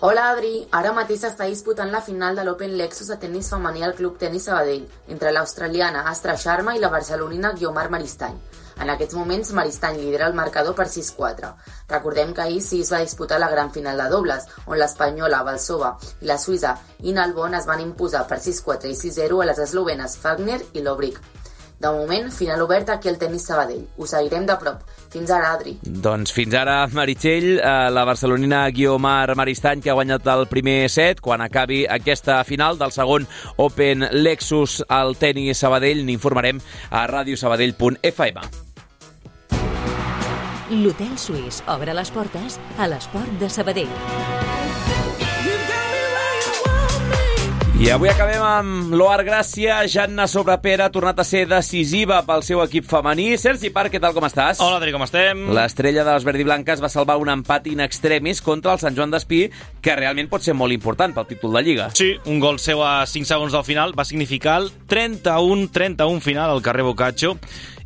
M: Hola, Adri. Ara mateix s'està disputant la final de l'Open Lexus de tenis femení al Club Tenis Sabadell, entre l'australiana Astra Sharma i la barcelonina Guiomar Maristany. En aquests moments, Maristany lidera el marcador per sis quatre. Recordem que ahir sí es va disputar la gran final de dobles, on l'espanyola Valsova i la suïssa Ina Albon es van imposar per sis quatre i sis zero a les eslovenes Fagner i Lobrick. De moment, final obert aquí al Tenis Sabadell. Ho seguirem de prop. Fins ara, Adri.
A: Doncs fins ara, Meritxell, la barcelonina Guiomar Maristany, que ha guanyat el primer set. Quan acabi aquesta final del segon Open Lexus al Tenis Sabadell, n'informarem a ràdio sabadell punt f m.
B: L'Hotel Suís obre les portes a l'esport de Sabadell.
A: I avui acabem amb l'Oar Gràcia. Janna Sobrepera ha tornat a ser decisiva pel seu equip femení. Sergi Parc, què tal, com estàs?
N: Hola, Adri, com estem?
A: L'estrella de les verdiblanques va salvar un empat in extremis contra el Sant Joan d'Espí, que realment pot ser molt important pel títol de Lliga.
N: Sí, un gol seu a cinc segons del final va significar el trenta-u trenta-u final al carrer Boccaccio.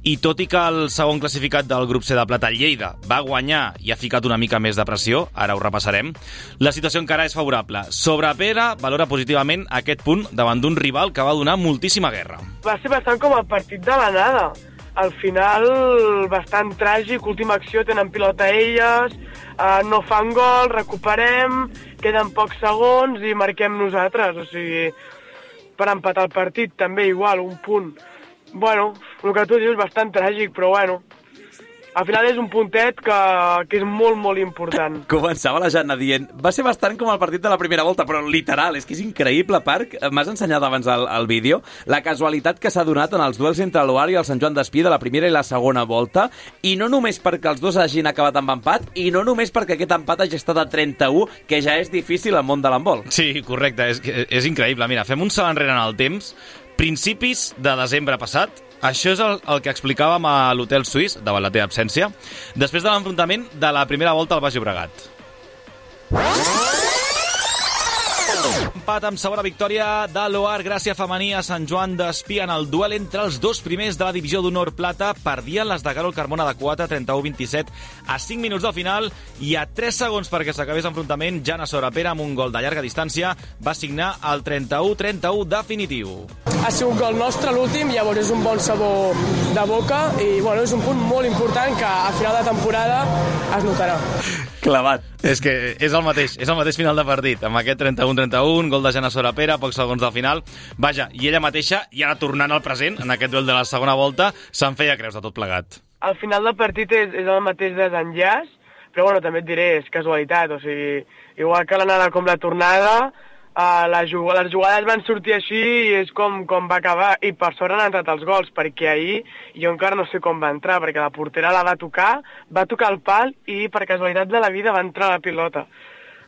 N: I tot i que el segon classificat del grup C de Plata, el Lleida, va guanyar i ha ficat una mica més de pressió, ara ho repassarem, la situació encara és favorable. Sobrepera valora positivament aquest punt davant d'un rival que va donar moltíssima guerra.
O: Va ser bastant com el partit de la nada. Al final, bastant tràgic, última acció, tenen pilota elles, eh, no fan gol, recuperem, queden pocs segons i marquem nosaltres. O sigui, per empatar el partit també igual, un punt. Bueno, el que tu dius és bastant tràgic, però bueno, al final és un puntet que, que és molt, molt important.
A: Començava la Janna dient, va ser bastant com el partit de la primera volta, però literal, és que és increïble, Parc. M'has ensenyat abans el, el vídeo la casualitat que s'ha donat en els duels entre l'Oar i el Sant Joan d'Espí de la primera i la segona volta, i no només perquè els dos hagin acabat amb empat, i no només perquè aquest empat hagi estat a trenta-u, que ja és difícil al món de l'handbol.
N: Sí, correcte, és, és increïble. Mira, fem un salt enrere en el temps Principis de desembre passat, això és el, el que explicàvem a l'Hotel Suís, davant la teva absència, després de l'enfrontament de la primera volta al Baix Llobregat. Empat amb segona victòria de l'Oar Gràcia femení a Sant Joan d'Espí en el duel entre els dos primers de la divisió d'honor plata. Perdien les de Carol Carmona de quatre, trenta-u vint-i-set a cinc minuts del final i a tres segons perquè s'acabés l'enfrontament, Jana Sorapera amb un gol de llarga distància va signar el trenta-u trenta-u definitiu.
P: Ha sigut gol nostre l'últim, llavors és un bon sabor de boca i bueno, és un punt molt important que a final de temporada es notarà.
N: Clavat. És que és el mateix, és el mateix final de partit, amb aquest trenta-u trenta-u, gol de Jana Sorapera, pocs segons del final. Vaja, i ella mateixa, i ara tornant al present, en aquest duel de la segona volta, se'n feia creus de tot plegat.
O: Al final del partit és, és el mateix desenllaç, però bueno, també et diré, és casualitat, o sigui, igual que l'anada com la tornada, Uh, les, jug les jugades van sortir així i és com, com va acabar, i per sort han entrat els gols, perquè ahir jo encara no sé com va entrar, perquè la portera la va tocar, va tocar el pal i per casualitat de la vida va entrar la pilota.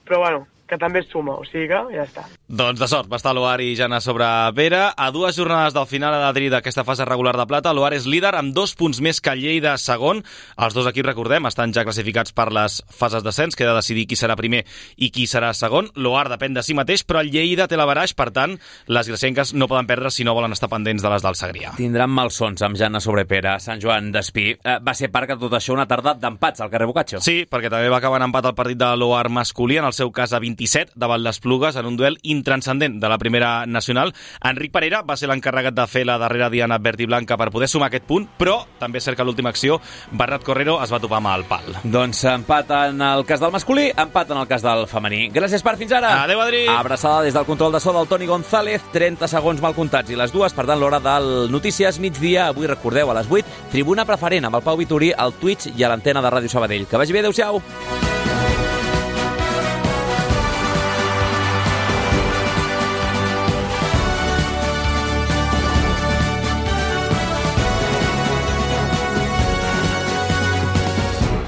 O: Però bueno, que també es suma, o sigui que ja està.
N: Doncs de sort, va estar l'Oar i Jana Sorapera. A dues jornades del final Adri d'aquesta fase regular de plata, l'Oar és líder amb dos punts més que Lleida segon. Els dos equips, recordem, estan ja classificats per les fases d'ascens, queda decidir qui serà primer i qui serà segon. L'Oar depèn de si mateix, però el Lleida té l'averaix, per tant, les gracienques no poden perdre si no volen estar pendents de les del Segrià.
A: Tindran malsons amb Jana Sorapera, Sant Joan d'Espí. Eh, va ser part que tot això una tarda d'empats al carrer Boccaccio.
N: Sí, perquè també va acabar en empat el partit de l'Oar masculí, en el seu cas a vint-i-set, davant les Plugues, en un duel intranscendent de la primera nacional. Enric Parera va ser l'encarregat de fer la darrera diana verd i blanca per poder sumar aquest punt, però també és cert que a l'última acció Bernat Correro es va topar amb el pal.
A: Doncs empat en el cas del masculí, empat en el cas del femení. Gràcies per fins ara.
N: Adéu, Adri.
A: Abraçada des del control de so del Toni González, trenta segons mal comptats i les dues, per tant l'hora del Notícies migdia. Avui recordeu a les vuit, tribuna preferent amb el Pau Vitorí al Twitch i a l'antena de Ràdio Sabadell. Que vagi bé, adéu-siau.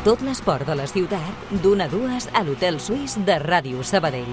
Q: Tot l'esport de la ciutat, d'una a dues a l'Hotel Suís de Ràdio Sabadell.